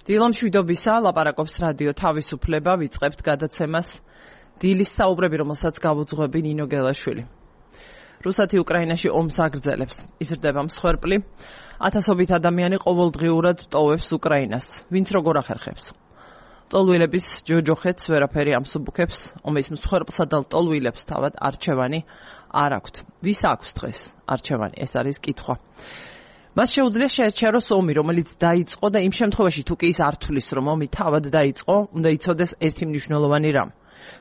დილომშვიდობისა, ლაპარაკობს რადიო თავისუფლება, ვიწყებთ გადაცემას დილის საუბრები, რომელსაც გავუძღვები ნინო გელაშვილი. რუსეთი უკრაინაში ომს აგრძელებს. იზრდება მსხვერპლი, ათასობით ადამიანი ყოველდღიურად ტოვებს უკრაინას. ვინც როგორ ახერხებს. ტოლვილების ჯოჯოხეთს ვერაფერი ამსუბუქებს, ომის მსხვერპლსა და ტოლვილებს თავად არჩევანი არ აქვთ. ვის აქვს დღეს არჩევანი? ეს არის კითხვა. მას შეუძლია შეაჩეროს ომი, რომელიც დაიწყო და იმ შემთხვევაში თუ კი ის არ თulis, რომ ომი თავად დაიწყო, უნდა იცოდეს ერთი მნიშვნელოვანი რამ,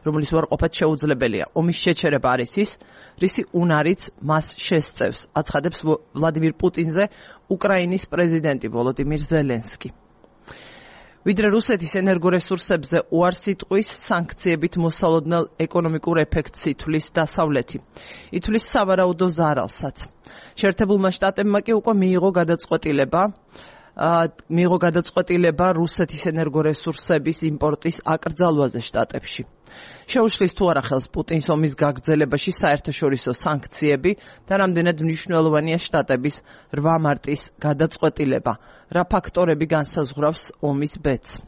რომლის უარყოფა შეუძლებელია. ომის შეჩერება არის ის, რისი უნარიც მას შესწევს, აცხადებს ვლადიმირ პუტინზე უკრაინის პრეზიდენტი ვოლოდიმირ ზელენსკი. ვიდრე რუსეთის ენერგორესურსებზე უარს იტყვის, სანქციებით მოსალოდნელ ეკონომიკურ ეფექტს ითვლის დასავლეთი. ითვლის სავარაუდო ზარალსაც. შეერთებულმა შტატებმა კი უკვე მიიღო გადაწყვეტილება რუსეთის ენერგორესურსების იმპორტის აკრძალვაზე შტატებში. შეუშლის თუ არა ხელს პუტინს ომის გაგრძელებაში საერთაშორისო სანქციები და რამდენად მნიშვნელოვანია შტატების 8 მარტის გადაწყვეტილება, რა ფაქტორები განსაზღვრავს ომის ბედს.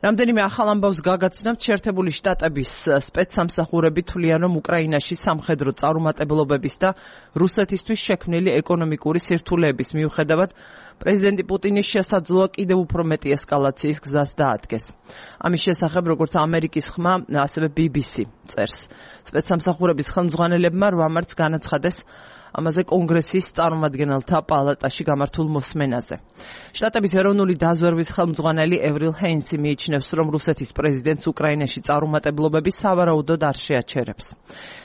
რამდენიმე ახალ ამბავს გაგაცნობთ, შეერთებული შტატების სპეცსამსახურები თვლიან, რომ უკრაინაში სამხედრო წარუმატებლობების და რუსეთისთვის შექმნილი ეკონომიკური სირთულეების მიუხედავად პრეზიდენტი პუტინის შესაძლოა კიდევ უფრო მეტი ესკალაციის გზას დაადგეს. ამის შესახებ, როგორც ამერიკის ხმა, ასევე BBC წერს. სპეცსამსახურების ხელმძღვანელებმა 8 მარტს განაცხადეს ამაზე კონგრესის წარმომადგენელთა პალატაში გამართულ მოსმენაზე. შტატების ეროვნული დაზვერვის ხელმძღვანელი ევრილ ჰეინსი მიიჩნევს, რომ რუსეთის პრეზიდენტს უკრაინაში წარუმატებლობები სავარაუდოდ არ შეაჩერებს.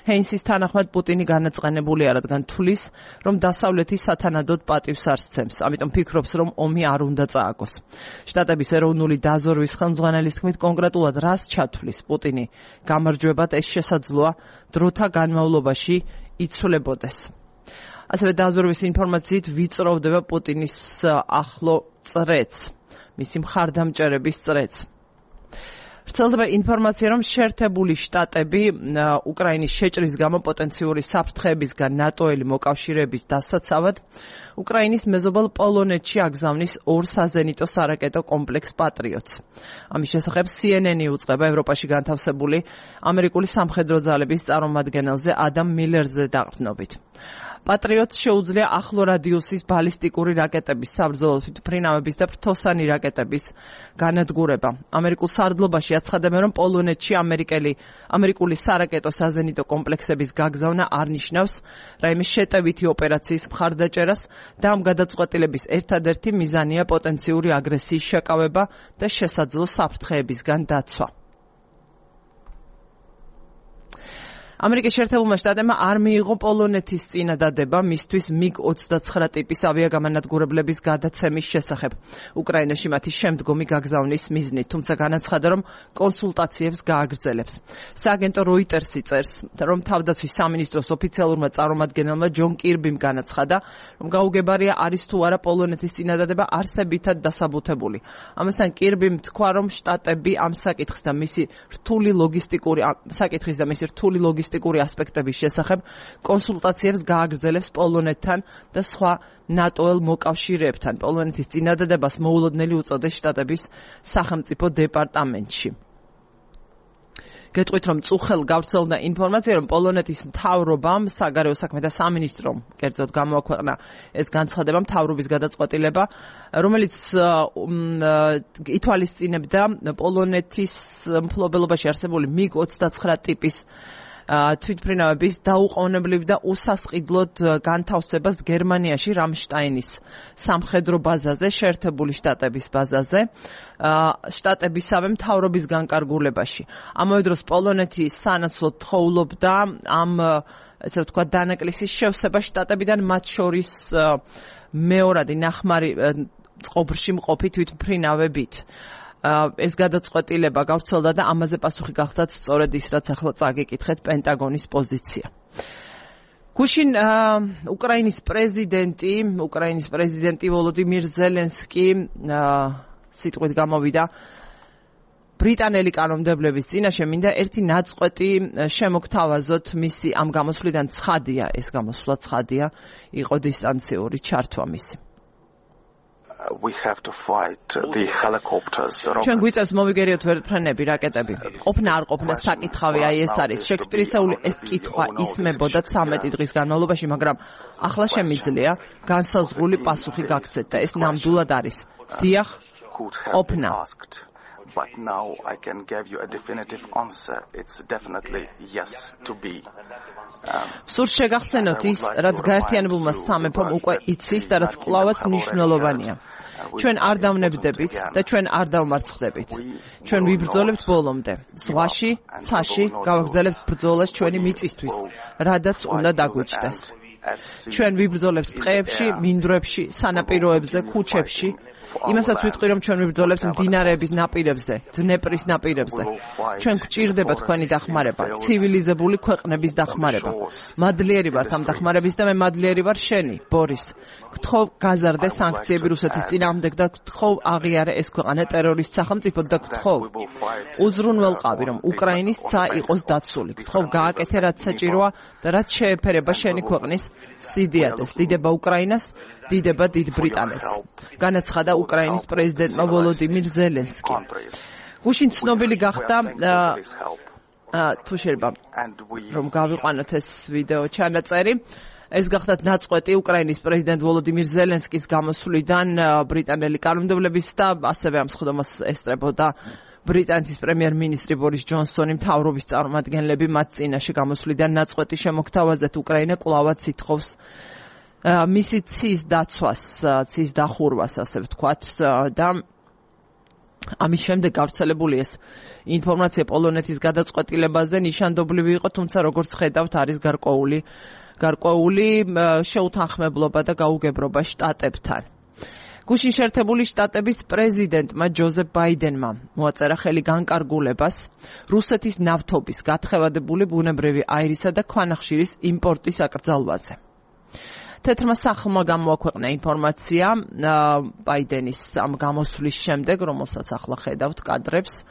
ჰეინსის თანახმად პუტინი განაწყენებულია, რადგან თulis, რომ დასავლეთი სათანადოდ პატივს არ სცემს, ამიტომ ფიქრობს, რომ ომი არ უნდა წააგოს. შტატების ეროვნული დაზვერვის ხელმძღვანელის თქმით, კონკრეტულად რას ჩათვლის პუტინი გამარჯვებად, ეს შესაძლოა დროთა განმავლობაში იცვლებოდეს. ასევე დაზვერვის ინფორმაციით ვიწროვდება პუტინის ახლო წრეც, მისი მხარდამჭერების წრეც. ვრცელდება ინფორმაცია, რომ შეერთებული შტატები უკრაინის შეჭრის გამო პოტენციური საფრთხეებისგან ნატოელი მოკავშირეების დასაცავად უკრაინის მეზობელ პოლონეთში აგზავნის 2 საზენიტო სარაკეტო კომპლექს პატრიოტს. ამის შესახებ CNN-ი უწყება ევროპაში განთავსებული ამერიკული სამხედრო ძალების წარმომადგენელზე ადამ მილერზე დაყრდნობით. პატრიოტს შეუძლია ახლო რადიუსის ბალისტიკური რაკეტების, საბრძოლო თვითმფრინავების და ფრთოსანი რაკეტების განადგურება. ამერიკულ სარდლობაში აცხადებენ, რომ პოლონეთში ამერიკული სარაკეტო საზენიტო კომპლექსების გაგზავნა არ ნიშნავს რაიმე შეტევითი ოპერაციის მხარდაჭერას და ამ გადაწყვეტილების ერთადერთი მიზანია პოტენციური აგრესიის შეკავება და შესაძლო საფრთხეებისგან დაცვა. ამერიკის შეერთებულმა შტატებმა არ მიიღო პოლონეთის წინადადება მისთვის MiG-29 ტიპის ავიაგამანადგურებლების გადაცემის შესახებ უკრაინაში მათი შემდგომი გაგზავნის მიზნით, თუმცა განაცხადა, რომ კონსულტაციებს გააგრძელებს. სააგენტო როიტერსი წერს, რომ თავდაცვის სამინისტროს ოფიციალურმა წარმომადგენელმა ჯონ კირბიმ განაცხადა, რომ გაუგებარია არის თუ არა პოლონეთის წინადადება არსებითად დასაბუთებული. ამასთან კირბიმ თქვა, რომ შტატები ამ საკითხის და მისი რთული ლოგისტიკური ასპექტების შესახებ კონსულტაციებს გააგრძელებს პოლონეთთან და სხვა ნატოელ მოკავშირეებთან. პოლონეთის წინადადებას მოულოდნელი უწოდეს შტატების სახელმწიფო დეპარტამენტში. გეტყვით, რომ წუხელ გავრცელდა ინფორმაცია, რომ პოლონეთის მთავრობამ, საგარეო საქმეთა სამინისტრომ, კერძოდ გამოაქვეყნა ეს განცხადება, მთავრობის გადაწყვეტილება, რომელიც ითვალისწინებდა პოლონეთის მფლობელობაში არსებული MiG-29 ტიპის თვითმფრინავების დაუყოვნებლივ და უსასყიდლოდ განთავსებას გერმანიაში რამშტაინის სამხედრო ბაზაზე, შეერთებული შტატების ბაზაზე, შტატებისავე მთავრობის განკარგულებაში. ამავე დროს პოლონეთი სანაცვლოდ თხოვლობდა ამ ესე ვთქვათ დანაკლისის შევსება შტატებიდან, მათ შორის მეორადი ნახმარი წყობრში მყოფი თვითმფრინავებით. ეს გადაწყვეტილება გავრცელდა და ამაზე პასუხი გახდათ სწორედ ის, რაც ახლა წაგიკითხეთ პენტაგონის პოზიცია. გუშინ უკრაინის პრეზიდენტი ვოლოდიმირ ზელენსკი სიტყვით გამოვიდა ბრიტანელი კანონმდებლების წინაშე, მინდა ერთი ნაწყვეტი შემოგთავაზოთ მისი ამ გამოსვლიდან. ცხადია, ეს გამოსვლა ცხადია, იყო დისტანციური ჩართვა მისი. we have to fight the helicopters. ჩვენ გვიწევს მოვიგერიოთ ვერტმფრენები, რაკეტები. ყოფნა არ ყოფნა საკითხავი აი ეს არის. შექსპირისეული ეს კითხვა ისმებოდა 13 დღის განმავლობაში, მაგრამ ახლა შემიძლია განსაზღვრული პასუხი გაგცეთ და ეს ნამდვილად არის. დიახ, ყოფნა. But now I can give you a definitive answer. It's definitely yes to be. სურს შეგახსენოთ ის, რაც გაერთიანებულმა სამეფომ უკვე იცის და რაც კვლავაც მნიშვნელოვანია. ჩვენ არ დავნებდებით და ჩვენ არ დავმარცხდებით. ჩვენ ვიბრძოლებთ ბოლომდე. ზღვაში, ცაში გავაგრძელებთ ბრძოლას ჩვენი მიწისთვის, რადაც უნდა დაგვიჩნდეს. ჩვენ ვიბრძოლებთ ტყეებში, მინდვრებში, სანაპიროებზე, ქუჩებში. იმასაც ვიტყვი, რომ ჩვენ ვიბრძოლებთ მდინარეების ნაპირებზე, დნეპრის ნაპირებზე. ჩვენ გვჭირდება თქვენი დახმარება, ცივილიზებული ქვეყნების დახმარება. მადლიერი ვართ ამ დახმარების და მე მადლიერი ვარ შენი, ბორის. გთხოვ გაზარდე სანქციები რუსეთის წინააღმდეგ და გთხოვ აღიარე ეს ქვეყანა ტერორისტ სახელმწიფოდ და გთხოვ უზრუნველყავი, რომ უკრაინის ცა იყოს დაცული. გთხოვ გააკეთე რაც საჭიროა და რაც შეეფერება შენი ქვეყნის სიდიადეს. დიდება უკრაინას, დიდება დიდ ბრიტანეთს. განაცხადა უკრაინის პრეზიდენტმა ვოლოდიმირ ზელენსკი. გუშინ ცნობილი გახდა თუ შეიძლება რომ გავიყვანოთ ეს ვიდეო ჩანაწერი. ეს გახდათ ნაწყვეტი უკრაინის პრეზიდენტ ვოლოდიმირ ზელენსკის გამოსვლიდან ბრიტანელი კანონმდებლების და ასევე ამ სხდომას ესწრებოდა ბრიტანეთის პრემიერ-მინისტრი ბორის ჯონსონი, მთავრობის წარმომადგენლები მათ წინაშე გამოსვლიდან ნაწყვეტი შემოგთავაზეთ. უკრაინა კვლავაც ითხოვს მისი ცის დაცვას, ცის დახურვას, ასე ვთქვათ, და ამის შემდეგ გავრცელებული ეს ინფორმაცია პოლონეთის გადაწყვეტილებაზე ნიშანდობლივი იყო, თუმცა როგორც ხედავთ, არის გარკვეული შეუთანხმებლობა და გაუგებრობა შტატებთან. გუშინ შეერთებული შტატების პრეზიდენტმა ჯოზეფ ბაიდენმა მოაწერა ხელი განკარგულებას რუსეთის ნავთობის გათხევადებული ბუნებრივი აირისა და ქვანახშირის იმპორტის აკრძალვაზე. თეთრმა სახლმა გამოაქვეყნა ინფორმაცია ბაიდენის ამ გამოსვლის შემდეგ, რომელსაც ახლა ხედავთ კადრებს.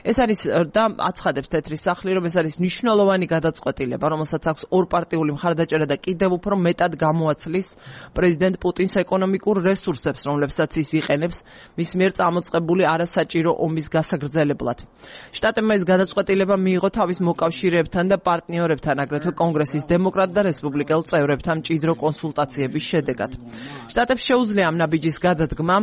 ეს არის და აცხადებს თეთრი სახლი, რომ ეს არის მნიშვნელოვანი გადაწყვეტილება, რომელსაც აქვს ორპარტიული მხარდაჭერა და კიდევ უფრო მეტად გამოაცლის პრეზიდენტ პუტინს ეკონომიკურ რესურსებს, რომლებსაც ის იყენებს მის მიერ წამოწყებული არასაჭირო ომის გასაგრძელებლად. შტატებმა ეს გადაწყვეტილება მიიღო თავის მოკავშირეებთან და პარტნიორებთან, აგრეთვე კონგრესის დემოკრატ და რესპუბლიკელ წევრებთან მჭიდრო კონსულტაციების შედეგად. შტატებს შეუძლია ამ ნაბიჯის გადადგმა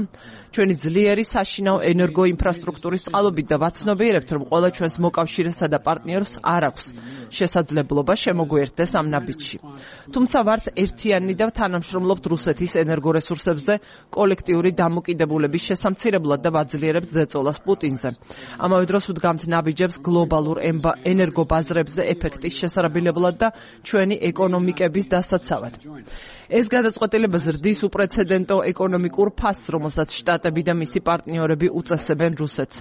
ჩვენი ძლიერი საშინაო ენერგოინფრასტრუქტურის წყალობით და ვაცნობიერებთ, რომ ყველა ჩვენს მოკავშირესსა და პარტნიორს არ აქვს შესაძლებლობა შემოგვიერთდეს ამ ნაბიჯში. თუმცა ვართ ერთიანი და თანამშრომლობთ რუსეთის ენერგორესურსებზე კოლექტიური დამოკიდებულების შესამცირებლად და ვაძლიერებთ ზეწოლას პუტინზე. ამავე დროს ვდგამთ ნაბიჯებს გლობალურ ენერგობაზრებზე ეფექტის შესარაბილებლად და ჩვენი ეკონომიკების დასაცავად. ეს გადაწყვეტილება ზრდის უპრეცედენტო ეკონომიკურ ფასს, რომელსაც შტატები და მისი პარტნიორები უწესებენ რუსეთს.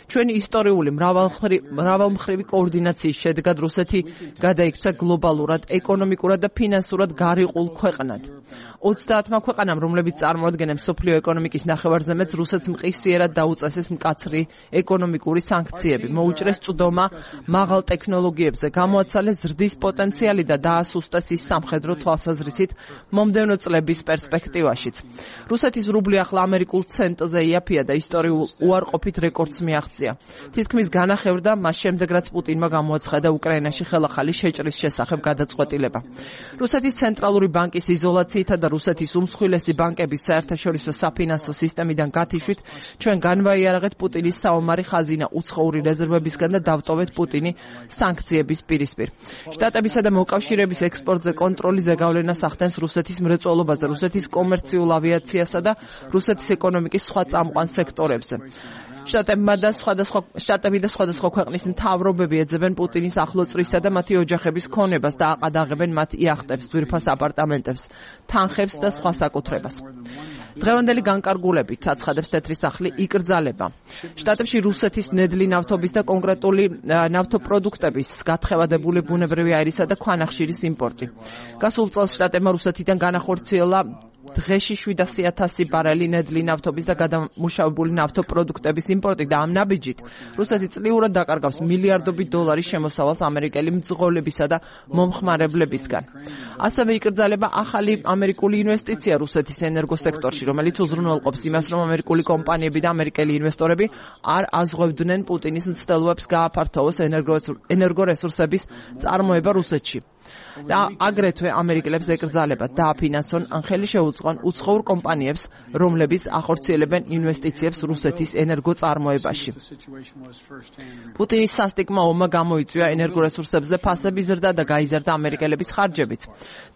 ჩვენი ისტორიული მრავალმხრივი კოორდინაციის შედეგად რუსეთი გადაიქცა გლობალურად, ეკონომიკურად და ფინანსურად გარიყულ ქვეყნად. 30 ქვეყანამ, რომლებიც წარმოადგენენ მსოფლიო ეკონომიკის ნახევარზემეთს, რუსეთს მყისიერად დაუწესეს მკაცრი ეკონომიკური სანქციები, მოუჭრეს წვდომა მაღალ ტექნოლოგიებზე, გამოაცალეს ზრდის პოტენციალი და დაასუსტეს ის სამხედრო თვალსაზრისით მომდევნო წლების პერსპექტივაშიც. რუსეთის რუბლი ახლა ამერიკულ ცენტზე იაფია და ისტორიულ უარყოფით რეკორდს მიაღწია. თითქმის განახევრდა მას შემდეგ, რაც პუტინმა გამოაცხადა უკრაინაში ხელახალი შეჭრის შესახებ გადაწყვეტილება. რუსეთის ცენტრალური ბანკის იზოლაციითა და რუსეთის უმსხვილესი ბანკების საერთაშორისო საფინანსო სისტემიდან გათიშვით ჩვენ განვაიარაღეთ პუტინის საომარი ხაზინა უცხოური რეზერვებისგან და დავტოვეთ პუტინი სანქციების პირისპირ. შტატებისა და მოკავშირეების ექსპორტზე კონტროლის ზეგავლენას ახდენს რუსეთის მრეწველობაზე, რუსეთის კომერციულ ავიაციასა და რუსეთის ეკონომიკის სხვა წამყვან სექტორებზე. შტატები და სხვადასხვა ქვეყნის მთავრობები ეძებენ პუტინის ახლოწვრისა და მათი ოჯახების ქონებას და აყადაღებენ მათ იახტებს, ძვირფას აპარტამენტებს, თანხებს და სხვა საკუთრებას. დღევანდელი განკარგულებით აცხადებს თეთრი სახლი იკრძალება. შტატებში რუსეთის ნედლი ნავთობის და კონკრეტული ნავთობპროდუქტების გათხევადებული ბუნებრივი აირისა და ქვანახშირის იმპორტი. გასულ წელს შტატებმა რუსეთიდან განახორციელა დღეში 700,000 ბარელი ნედლი ნავთობის და გადამუშავებული ნავთობპროდუქტების იმპორტი და ამ ნაბიჯით რუსეთი წლიურად დაკარგავს მილიარდობით დოლარის შემოსავალს ამერიკელი მძღოლებისა და მომხმარებლებისგან. ასევე იკრძალება ახალი ამერიკული ინვესტიცია რუსეთის ენერგოსექტორში, რომელიც უზრუნველყოფს იმას, რომ ამერიკული კომპანიები და ამერიკელი ინვესტორები არ აზღვევდნენ პუტინის მცდელობებს გააფართოვოს ენერგორესურსების წარმოება რუსეთში. და აგრეთვე ამერიკელებს ეკრძალებათ დააფინანსონ ან ხელი შეუწყონ უცხოურ კომპანიებს, რომლებიც ახორციელებენ ინვესტიციებს რუსეთის ენერგოწარმოებაში. პუტინის სასტიკმა ომმა გამოიწვია ენერგორესურსებზე ფასების ზრდა და გაიზარდა ამერიკელების ხარჯებიც.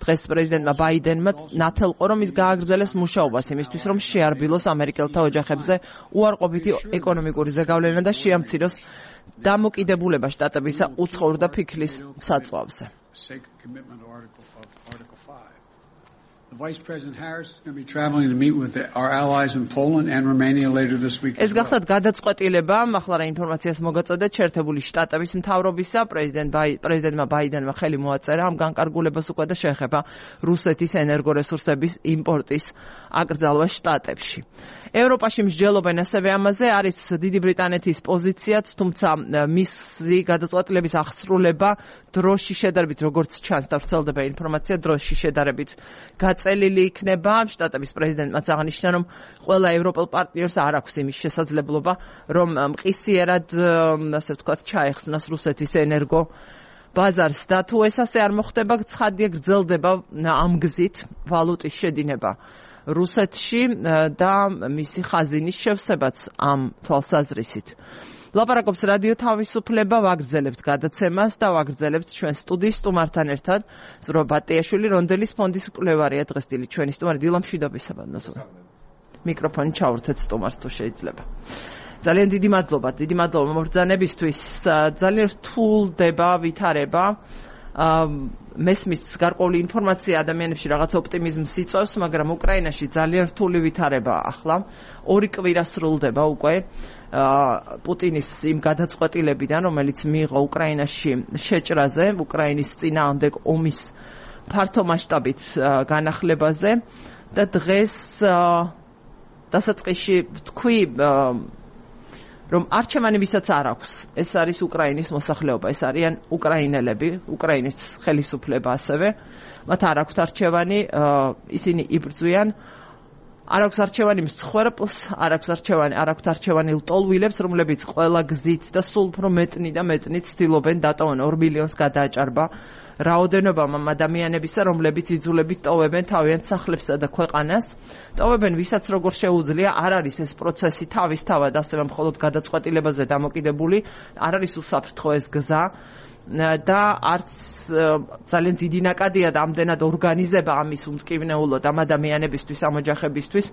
დღეს პრეზიდენტმა ბაიდენმა ნათელყო, რომ ის გააგრძელებს მუშაობას იმისთვის, რომ შეარბილოს ამერიკელთა ოჯახებზე უარყოფითი ეკონომიკური ზეგავლენა და შეამციროს დამოკიდებულება შტატებისა უცხოურ და ფიქლის საწვავზე. Sacred commitment article of Article 5. The Vice President Harris is going to be traveling to meet with our allies in Poland and Romania later this week. ეს გახსოვთ გადაწყვეტილება, ახლა რა ინფორმაციას მოგაწოდეთ, შეერთებული შტატების მთავრობისა პრეზიდენტმა ბაიდენმა ხელი მოაწერა ამ განკარგულებას უკვე და შეეხება რუსეთის ენერგორესურსების იმპორტის აკრძალვა შტატებში. ევროპაში მსჯელობენ ასევე ამაზე, არის დიდი ბრიტანეთის პოზიციაც, თუმცა მისი გადაწყვეტილების აღსრულება დროში შედარებით, როგორც ჩანს და ვრცელდება ინფორმაცია, დროში შედარებით გაწელილი იქნება. შტატების პრეზიდენტმაც აღნიშნა, რომ ყველა ევროპელ პარტნიორს არ აქვს იმის შესაძლებლობა, რომ მყისიერად, ასე ვთქვათ, ჩაეხსნას რუსეთის ენერგო ბაზარს და თუ ეს ასე არ მოხდება, ცხადია გრძელდება ამ გზით ვალუტის შედინება რუსეთში და მისი ხაზინის შევსებაც ამ თვალსაზრისით. ლაპარაკობს რადიო თავისუფლება, ვაგრძელებთ გადაცემას და ვაგრძელებთ ჩვენ სტუდიის სტუმართან ერთად. ზურაბ ბატიაშვილი, რონდელის ფონდის მკვლევარია დღესდღეობით ჩვენი სტუმარი. დილა მშვიდობისა ბატონო. მიკროფონი ჩაურთეთ სტუმარს თუ შეიძლება. ძალიან დიდი მადლობა მობრძანებისთვის. ძალიან რთულდება ვითარება. მესმის გარკვეული ინფორმაცია ადამიანებში რაღაც ოპტიმიზმს იწვევს, მაგრამ უკრაინაში ძალიან რთული ვითარება ახლა. 2 კვირა სრულდება უკვე პუტინის იმ გადაწყვეტილებიდან, რომელიც მიიღო უკრაინაში შეჭრაზე, უკრაინის წინააღმდეგ ომის ფართო მასშტაბით განახლებაზე და დღეს დასაწყისში ვთქვი, რომ არჩევანი ვისაც არ აქვს, ეს არის უკრაინის მოსახლეობა, ეს არიან უკრაინელები, უკრაინის ხელისუფლება ასევე, მათ არ აქვთ არჩევანი, ისინი იბრძვიან, არ აქვს არჩევანი მსხვერპლს, არ აქვთ არჩევანი ლტოლვილებს, რომლებიც ყველა გზით და სულ უფრო მეტნი და მეტნი ცდილობენ დატოვონ 2 მილიონს გადააჭარბა რაოდენობამ ამ ადამიანებისა, რომლებიც იძულებით ტოვებენ თავიანთ სახლებსა და ქვეყანას. ტოვებენ ვისაც როგორ შეუძლია, არ არის ეს პროცესი თავისთავად ასევე მხოლოდ გადაწყვეტილებაზე დამოკიდებული, არ არის უსაფრთხო ეს გზა და არც ძალიან დიდი ნაკადია და ამდენად ორგანიზება ამის უმტკივნეულოდ ამ ადამიანებისთვის, ამ ოჯახებისთვის,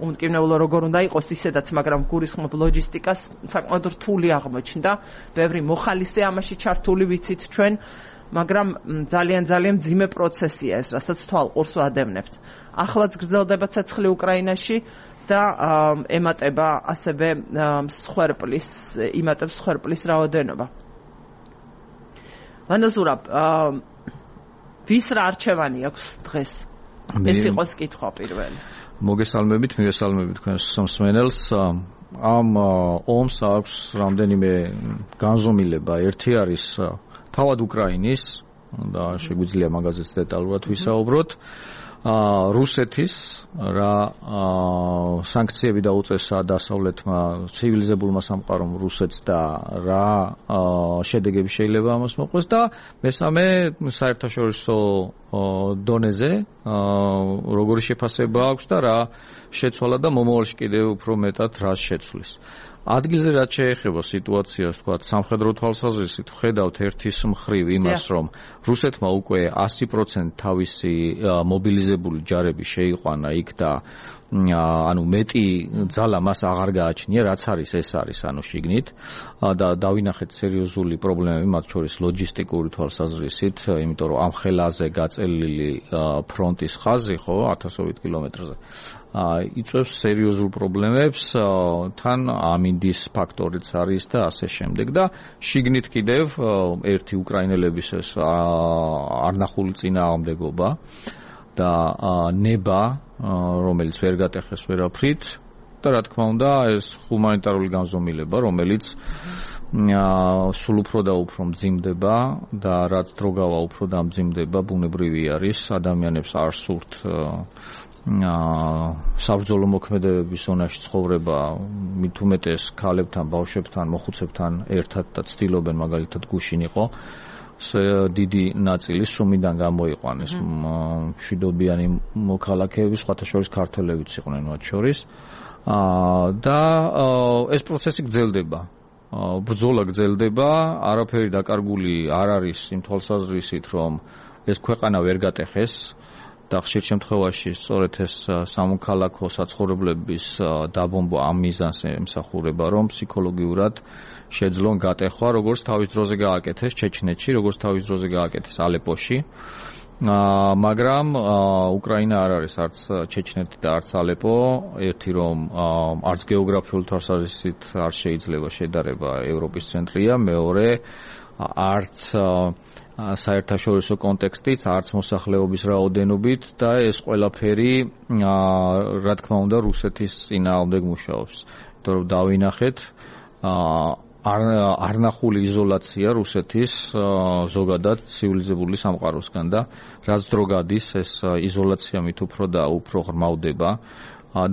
უმტკივნეულო როგორ უნდა იყოს ისედაც, მაგრამ გულისხმობ ლოჯისტიკას საკმაოდ რთული აღმოჩნდა. ბევრი მოხალისე ამაში ჩართული ვიცით ჩვენ, მაგრამ ძალიან მძიმე პროცესია ეს, რასაც თვალყურს ვადევნებთ. ახლაც გრძელდება ცეცხლი უკრაინაში და ემატება ასევე სხვერპლის რაოდენობა. ვანაზურაბ, ვის რა არჩევანი აქვს დღეს? ეს იყოს კითხვა პირველი. მოგესალმებით თქვენს მსმენელს. ამ ომს აქვს რამდენიმე განზომილება. ერთი არის თავად უკრაინის და შეგვიძლია მაგაზეც დეტალურად ვისაუბროთ. რუსეთის რა სანქციები დაუწესა დასავლეთმა ცივილიზებულმა სამყარომ რუსეთს და რა შედეგები შეიძლება ამას მოყვეს და მესამე საერთაშორისო დონეზე როგორი შეფასება აქვს და რა შეცვალა და მომავალში კიდევ უფრო მეტად რა შეცვლის. ადგილზე რაც შეეხება სიტუაციას, თქვათ, სამხედრო თვალსაზრისით ხედავთ ერთის მხრივ იმას, რომ რუსეთმა უკვე 100% თავისი მობილიზებული ჯარები შეიყვანა იქ და ანუ მეტი ძალა მას აღარ გააჩნია, რაც არის ეს არის ანუ შიგნით და დავინახეთ სერიოზული პრობლემები მათ შორის ლოჯისტიკური თვალსაზრისით, იმიტომ რომ ამ ხელაზე გაწელილი ფრონტის ხაზი, ხო, 1000 კილომეტრზე იწვევს სერიოზულ პრობლემებს, თან ამინდის ფაქტორიც არის და ასე შემდეგ და შიგნით კიდევ ერთი უკრაინელების ეს არნახული წინააღმდეგობა და ნება, რომელიც ვერ გატეხეს ვერაფრით და რა თქმა უნდა ეს ჰუმანიტარული განზომილება, რომელიც სულ უფრო და უფრო მძიმდება და რაც დრო გავა უფრო და მძიმდება, ბუნებრივი არის, ადამიანებს არ სურთ საბრძოლო მოქმედებების ზონაში ცხოვრება, მით უმეტეს ქალებთან, ბავშვებთან, მოხუცებთან ერთად და ცდილობენ მაგალითად გუშინ იყო დიდი ნაწილი სუმიდან გამოიყვანეს მშვიდობიანი მოქალაქეები, სხვათა შორის ქართველებიც იყვნენ მათ შორის და ეს პროცესი გრძელდება. ბრძოლა გრძელდება, არაფერი დაკარგული არ არის იმ თვალსაზრისით, რომ ეს ქვეყანა ვერ გატეხეს და ხშირ შემთხვევაში სწორედ ეს სამოქალაქო საცხოვრებლების დაბომბვა ამ მიზანს ემსახურება, რომ ფსიქოლოგიურად შეძლონ გატეხვა, როგორც თავის დროზე გააკეთეს ჩეჩნეთში, როგორც თავის დროზე გააკეთეს ალეპოში. მაგრამ უკრაინა არ არის არც ჩეჩნეთი და არც ალეპო, ერთი რომ არც გეოგრაფიული თვალსაზრისით არ შეიძლება შედარება ევროპის ცენტრია, მეორე არც საერთაშორისო კონტექსტით, არც მოსახლეობის რაოდენობით და ეს ყველაფერი რა თქმა უნდა რუსეთის წინააღმდეგ მუშაობს. იმიტომ რომ დავინახეთ არნახული იზოლაცია რუსეთის ზოგადად ცივილიზებული სამყაროსგან და რაც დრო გადის ეს იზოლაცია მით უფრო და უფრო ღრმავდება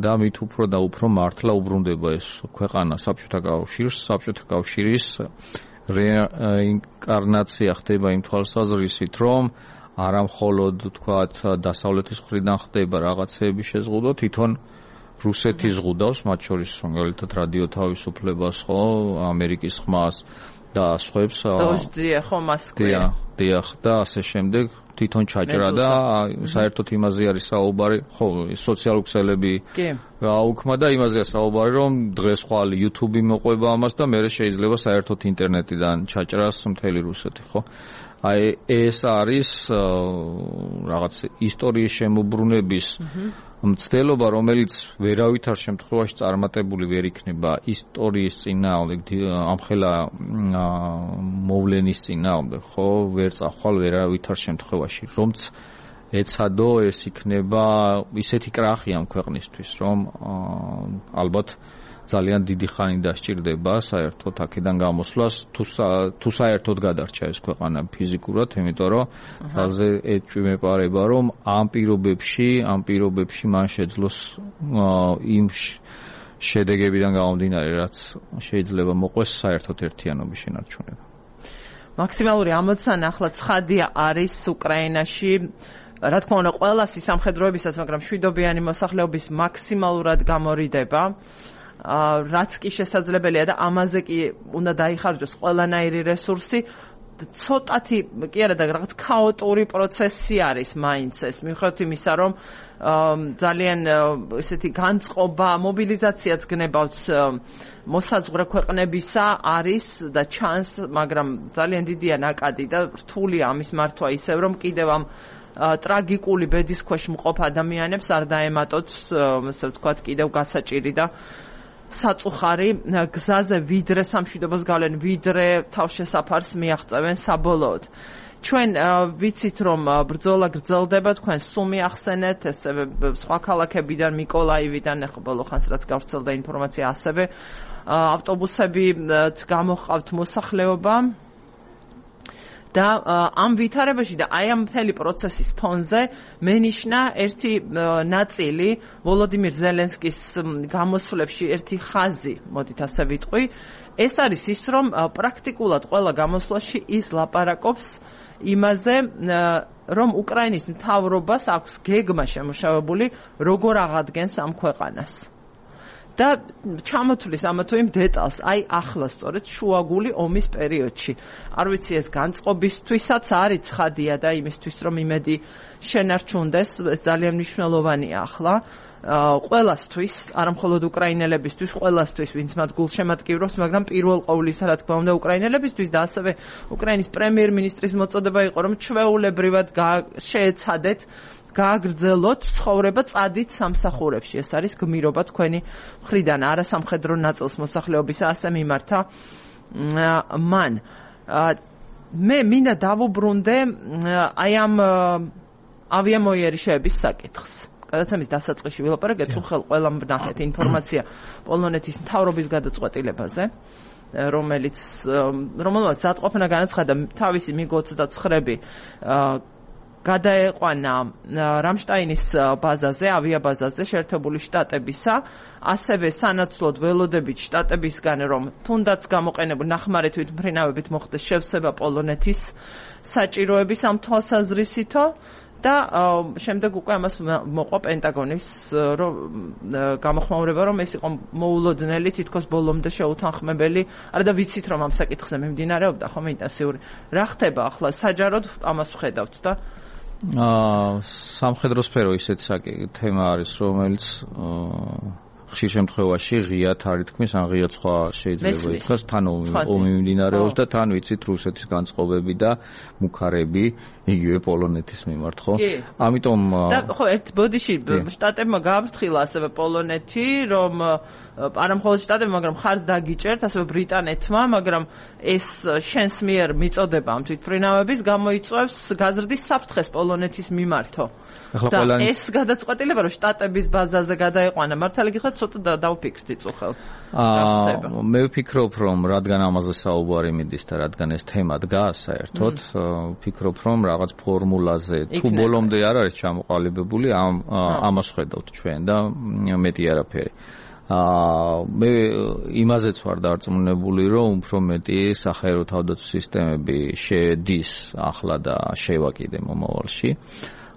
და მით უფრო და უფრო მართლა უბრუნდება ეს ქვეყანა საბჭოთა კავშირს, საბჭოთა კავშირის რეინკარნაცია ხდება იმ თვალსაზრისით, რომ არა მხოლოდ თქვათ დასავლეთის მხრიდან ხდება რაღაცეები შეზღუდვა, თვითონ რუსეთი ზღუდავს, მათ შორის მაგალითად რადიო თავისუფლებას, ხო, ამერიკის ხმას და სხვებს. დოჟძია ხო მოსკოვი. დიახ და ასე შემდეგ თვითონ ჩაჭრა და საერთოდ იმაზე არის საუბარი, ხო, სოციალური ქსელები გააუქმა და იმაზეა საუბარი, რომ დღეს ხვალ YouTube-ი მოყვება ამას და მე შეიძლება საერთოდ ინტერნეტიდან ჩაჭრას მთელი რუსეთი, ხო? აი ეს არის რაღაც ისტორიის შემოbrunების მცდელობა, რომელიც ვერავითარ შემთხვევაში წარმატებული ვერ იქნება ისტორიის წინააღმდეგ, ამხელა მოვლენის წინააღმდეგ, ხო, ვერ წახვალ ვერავითარ შემთხვევაში, რომც ეცადო ეს იქნება ისეთი კრახი ამ ქვეყნისთვის, რომ ალბათ ძალიან დიდი ხანი დასჭირდება საერთოდ აქედან გამოსვლას, თუ საერთოდ გადარჩა ეს ქვეყანა ფიზიკურად, იმიტომ რომ თავზე ეჭვი მეპარება, რომ ამ პირობებში მან შეძლოს იმ შედეგებიდან გამომდინარე, რაც შეიძლება მოყვეს საერთოდ ერთიანობის შენარჩუნება. მაქსიმალური ამოცანა ახლა ცხადია არის უკრაინაში, რა თქმა უნდა, ყველა სამხედროებისაც, მაგრამ მშვიდობიანი მოსახლეობის მაქსიმალურად გამორიდება. რაც კი შესაძლებელია და ამაზე კი უნდა დაიხარჯოს ყველანაირი რესურსი, ცოტათი კი არა და რაღაც ქაოტური პროცესი არის მაინც ეს, მიუხედავად იმისა, რომ ძალიან ესეთი განწყობა, მობილიზაციაც გნებავთ მოსაზღვრე ქვეყნებისა არის და ჩანს, მაგრამ ძალიან დიდია ნაკადი და რთულია ამის მართვა ისევ, რომ კიდევ ამ ტრაგიკული ბედის ქვეშ მყოფ ადამიანებს არ დაემატოთ, ასე ვთქვათ, კიდევ გასაჭირი და საწუხარი გზაზე ვიდრე სამშვიდობოს გავლენ, ვიდრე თავშესაფარს მიაღწევენ საბოლოოდ. ჩვენ ვიცით, რომ ბრძოლა გრძელდება, თქვენ სუმი ახსენეთ, ესევე სხვა ქალაქებიდან, მიკოლაივიდან, ახლა ბოლო ხანს რაც გავრცელდა ინფორმაცია, ასევე ავტობუსები გამოჰყავთ მოსახლეობა. და ამ ვითარებაში და აი ამ მთელი პროცესის ფონზე მენიშნა ერთი ნაწილი ვოლოდიმირ ზელენსკის გამოსვლებში ერთი ხაზი, მოდით ასე ვიტყვი, ეს არის ის, რომ პრაქტიკულად ყველა გამოსვლაში ის ლაპარაკობს იმაზე, რომ უკრაინის მთავრობას აქვს გეგმა შემუშავებული, როგორ აღადგენს ამ ქვეყანას. და ჩამოთვლის ამა თუ იმ დეტალს, აი ახლა სწორედ შუაგული ომის პერიოდში. არ ვიცი ეს განწყობისთვისაც არის ცხადია და იმისთვის რომ იმედი შენარჩუნდეს, ეს ძალიან მნიშვნელოვანია ახლა. ყველასთვის, არა მხოლოდ უკრაინელებისთვის, ყველასთვის, ვინც მათ გულშემატკივრობს, მაგრამ პირველ ყოვლისა, რა თქმა უნდა, უკრაინელებისთვის და ასევე უკრაინის პრემიერ-მინისტრის მოწოდება იყო, რომ ჩვეულებრივად შეეცადეთ გააგრძელოთ ცხოვრება წადით სამსახურებში. ეს არის გმირობა თქვენი მხრიდან, არასამხედრო ნაწილს მოსახლეობისა ასე მიმართა მან. მე მინდა დავუბრუნდე აი ამ ავიამოიერიშეების საკითხს. გადაცემის დასაწყისში ვილაპარაკეთ უხელ ყველამ ვნახეთ ინფორმაცია პოლონეთის მთავრობის გადაწყვეტილებაზე, რომელმაც ზადყოფნა განაცხადა თავისი MiG-29-ები გადაეყვანა რამშტაინის ბაზაზე, ავიაბაზაზე შეერთებული შტატებისა, ასევე სანაცვლოდ ველოდებით შტატებისგან, რომ თუნდაც გამოყენებული ნახმარი თვითმფრინავებით მოხდეს შევსება პოლონეთის საჭიროების ამ თვალსაზრისითო და შემდეგ უკვე ამას მოყვა პენტაგონის გამოხმაურება, რომ ეს იყო მოულოდნელი, თითქოს ბოლომდე შეუთანხმებელი. არა და ვიცით, რომ ამ საკითხზე მიმდინარეობდა ხომ ინტენსიური. რა ხდება ახლა საჯაროდ ამას ვხედავთ და სამხედრო სფერო ისეთი თემა არის, რომელიც ხშირ შემთხვევაში ღიად არ ითქმის, ან ღიად სხვა შეიძლება ითქვას, თან ომი მიმდინარეობს და თან ვიცით რუსეთის განწყობები და მუქარები იგივე პოლონეთის მიმართ, ხო? ამიტომ და ხო ერთ ბოდიში შტატებმა გააფრთხილა ასევე პოლონეთი, რომ არა მხოლოდ შტატებმა, მაგრამ ხარს დაგიჭერთ ასევე ბრიტანეთმა, მაგრამ ეს შენს მიერ მიწოდება ამ თვითმფრინავების გამოიწვევს გაზრდის საფრთხეს პოლონეთის მიმართო. და ეს გადაწყვეტილება, რომ შტატების ბაზაზე გადაეყვანა, მართალი გითხრათ, ცოტა დავფიქრდით უხელ. მე ვფიქრობ, რომ რადგან ამაზე საუბარი მიდის და რადგან ეს თემა დგას საერთოდ, ვფიქრობ, რომ რაღაც ფორმულაზე თუ ბოლომდე არ არის ჩამოყალიბებული, ამას ხედავთ ჩვენ და მეტი არაფერი. მე იმაზეც ვარ დარწმუნებული, რომ უფრო მეტი საჰაერო თავდაცვის სისტემები შედის ახლა და შევაკიდე მომავალში.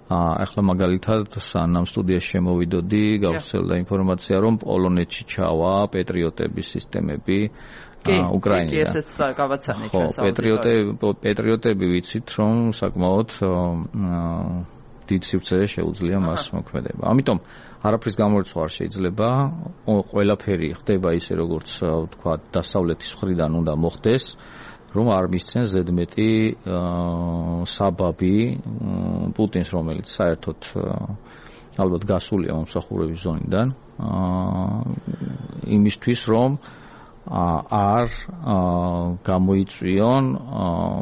ახლა მაგალითად სანამ სტუდიაში შემოვიდოდი, გავხსენდა ინფორმაცია, რომ პოლონეთში ჩავა პეტრიოტების სისტემები უკრაინიდან. ხო, პეტრიოტები ვიცით, რომ საკმაოდ დიდ სივრცეზე შეუძლია მას მოქმედება. ამიტომ არაფრის გამორიცხვა არ შეიძლება, ყველაფერი ხდება ისე, როგორც ვთქვა, დასავლეთის მხრიდან უნდა მოხდეს, რომ არ მისცენ ზედმეტი საბაბი პუტინს, რომელიც საერთოდ ალბათ გასულია მომსახურების ზონიდან, იმისთვის, რომ არ გამოიწვიონ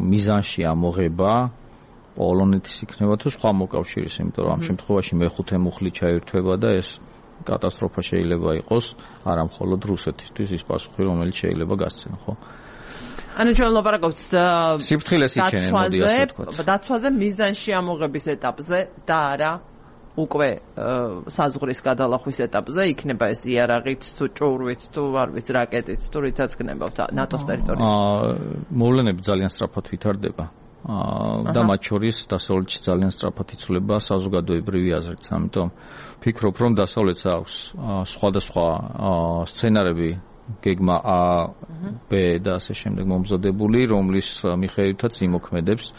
მიზანში ამოღება პოლონეთის იქნება თუ სხვა მოკავშირის, იმიტომ რომ ამ შემთხვევაში მეხუთე მუხლი ჩაირთვება და ეს კატასტროფა შეიძლება იყოს არა მხოლოდ რუსეთისთვის, ის პასუხი, რომელიც შეიძლება გასცენ, ხო? ანუ ჩვენ ვლაპარაკობთ სიფრთხილეს იჩენენ, მოდი ასე ვთქვათ. დაცვაზე მიზანში ამოღების ეტაპზე და არა უკვე საზღვრის გადალახვის ეტაპზე, იქნება ეს იარაღით თუ ჭურვით თუ არ ვიცი რაკეტით თუ რითაც გნებავთ ნატოს ტერიტორიაზე. მოვლენები ძალიან სწრაფად ვითარდება. და მათ შორის დასავლეთში ძალიან სწრაფად იცვლება საზოგადოებრივი აზრიც, ამიტომ ვფიქრობ, რომ დასავლეთს აქვს სხვადასხვა სცენარები გეგმა A, B და ასე შემდეგ მომზადებული, რომლის მიხედვითაც იმოქმედებს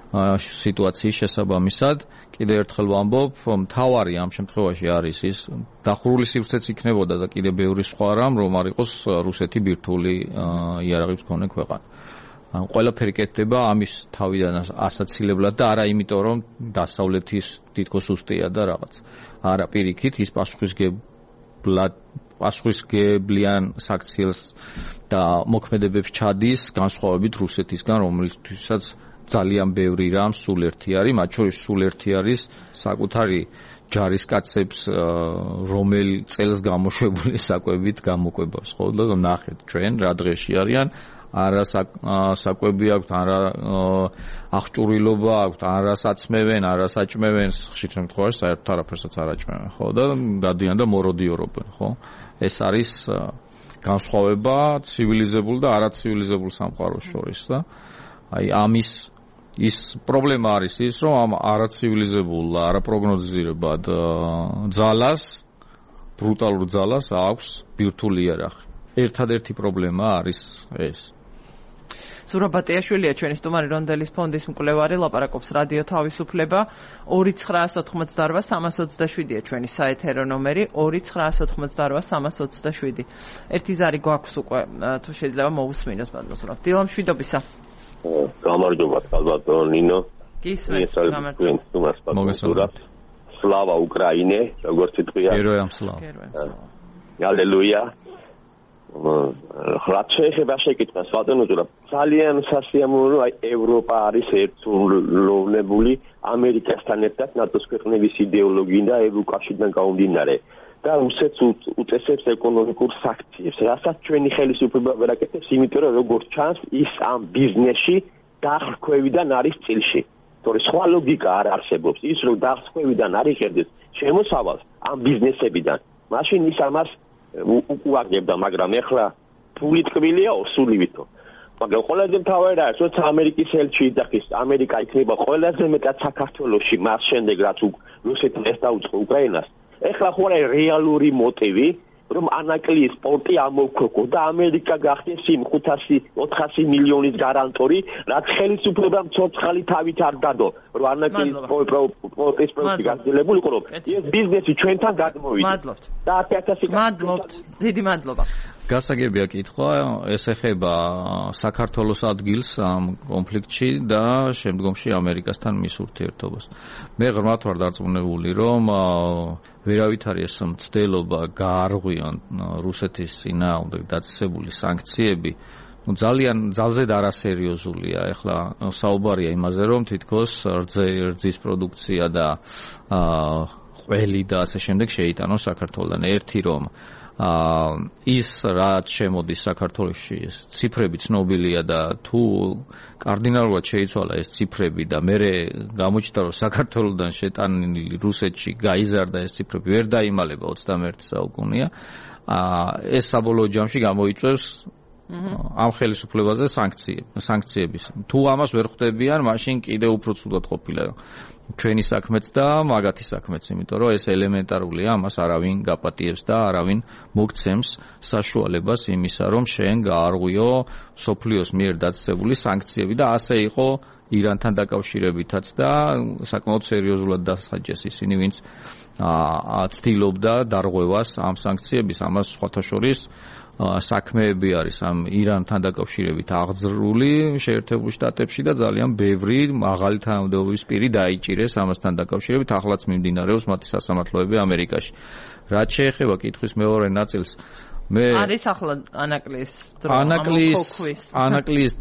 სიტუაციის შესაბამისად. კიდევ ერთხელ ვამბობ, მთავარი ამ შემთხვევაში არის ის დახურული სივრცეც იქნებოდა და კიდევ ბევრი სხვა რამ, რომ არ იყოს რუსეთი ბირთვული იარაღის მქონე ქვეყანა. ყველაფერი კეთდება ამის თავიდან ასაცილებლად და არა იმიტომ, რომ დასავლეთის თითქოს უსტია და რაღაც. არა, პირიქით ის პასუხისგებლიან საქციელს და მოქმედებებს ჩადის განსხვავებით რუსეთისგან, რომელთვისაც ძალიან ბევრი რამ სულ ერთი არის, მათ შორის სულ ერთი არის საკუთარი ჯარისკაცებს რომელ წელს გამოშვებული საკვებით გამოკვებას, ხო? და ნახეთ ჩვენ რა დღეში არიან, არა საკვები აქვთ, არა აღჭურვილობა აქვთ, არა საწმევენ, არა საჭმევენ, ხშირ შემთხვევაში საერთოდ არაფერსაც არ აჭმევენ, ხო? და გადიან და მოროდიორობენ, ხო? ეს არის განსხვავება ცივილიზებულ და არაცივილიზებულ სამყაროს შორის და აი ამის ის პრობლემა არის ის, რომ ამ არაცივილიზებულ, არაპროგნოზირებად ძალას, ბრუტალურ ძალას აქვს ბირთვული იარაღი. ერთადერთი პრობლემა არის ეს. ზურაბ ბატიაშვილია ჩვენი სტუმარი, რონდელის ფონდის მკვლევარი, ლაპარაკობს რადიო თავისუფლება. 2988327-ია ჩვენი საეთერო ნომერი, 2988327. ერთი ზარი გვაქვს უკვე, თუ შეიძლება მოვუსმინოთ ბატონო. დილა მშვიდობისა. გამარჯობა ბატონო ნინო. გისმენთ, გამარჯობა. სლავა უკრაინე, როგორც იტყვია. გეროям სლავა. ალელუია. რაც შეეხება შეკითხვას ბატონო ზურაბ, ძალიან სასიამოვნო, აი ევროპა არის ერთულოვნებული ამერიკასთან ერთად ნატოს ქვეყნების იდეოლოგიიდან და ევროკავშირიდან გამომდინარე და რუსეთს უწესებს ეკონომიკურ სანქციებს, რასაც ჩვენი ხელისუფლება ვერ აკეთებს, იმიტომ რომ როგორც ჩანს, ის ამ ბიზნესში დახხვევიდან არის წილში. თორე სხვა ლოგიკა არ არსებობს. ის რომ დახხვევიდან არ იღებდეს შემოსავალს ამ ბიზნესებიდან, მაშინ ის ამას უაგებდა, მაგრამ ეხლა ფული ტკბილია სულივითო. მაგრამ ყველაზე მთავარი არის, როცა ამერიკის ელჩი იძახის, ამერიკა იქნება ყველაზე მეტად საქართველოში მას შემდეგ, რაც რუსეთს ეს დაუწყო უკრაინას. ეხლა ხო არის რეალური მოტივი, რომ ანაკლიის პორტი ამოვქროკო და ამერიკა გახდეს იმ 500-400 მილიონის გარანტორი, რაც ხელისუფლებამ ცოცხალი თავით არ დადო, რომ ანაკლიის პორტის პროექტი გაგრძელებულიყო, რომ ეს ბიზნესი ჩვენთან გადმოვიდა. მადლობთ. და 100000 მადლობთ. დიდი მადლობა. გასაგებია კითხვა, ეს ეხება საქართველოს ადგილს ამ კონფლიქტში და შემდგომში ამერიკასთან მის ურთიერთობას. მე ღრმად ვარ დარწმუნებული, რომ ვერავით არის ეს მცდელობა გაარღვიონ რუსეთის წინააღმდეგ დაწესებული სანქციები. ძალზედ არასერიოზულია. ეხლა საუბარია იმაზე, რომ თითქოს რძის პროდუქცია და ყველი და ასე შემდეგ შეიტანოს საქართველოსთან. ერთი რომ ის რაც შემოდის საქართველოში ციფრები ცნობილია და თუ კარდინალურად შეიცვალა ეს ციფრები და მე გამოჩნდა რომ საქართველოსთან შეტანილი რუსეთში გაიზარდა ეს ციფრები ვერ დაიმალება 21 საუკუნეა ეს საბოლოო ჯამში გამოიწვევს ამ ხელისუფლებაზე სანქციების თუ ამას ვერ ხვდებიან მაშინ კიდევ უფრო ცუდად ყოფილა ჩვენი საქმეც და მაგათი საქმეც, იმიტომ რომ ეს ელემენტარულია, ამას არავინ გაპატიებს და არავინ მოგცემს საშუალებას იმისა, რომ შენ გაარღვიო სოფლიოს მიერ დაწესებული სანქციები და ასე იყო ირანთან დაკავშირებითაც და საკმაოდ სერიოზულად დასაჯეს ისინი, ვინც ცდილობდა დარღვევას ამ სანქციების, ამას სხვათა შორის საქმეები არის ამ ირანთან დაკავშირებით აღძრული შეერთებულ შტატებში და ძალიან ბევრი მაღალი თანამდებობის პირი დაიჭირეს ამასთან დაკავშირებით, ახლაც მიმდინარეობს მათი სასამართლოები ამერიკაში. რაც შეეხება კითხვის მეორე ნაწილს, არის ახლა ანაკლიის დრო, ანაკლიის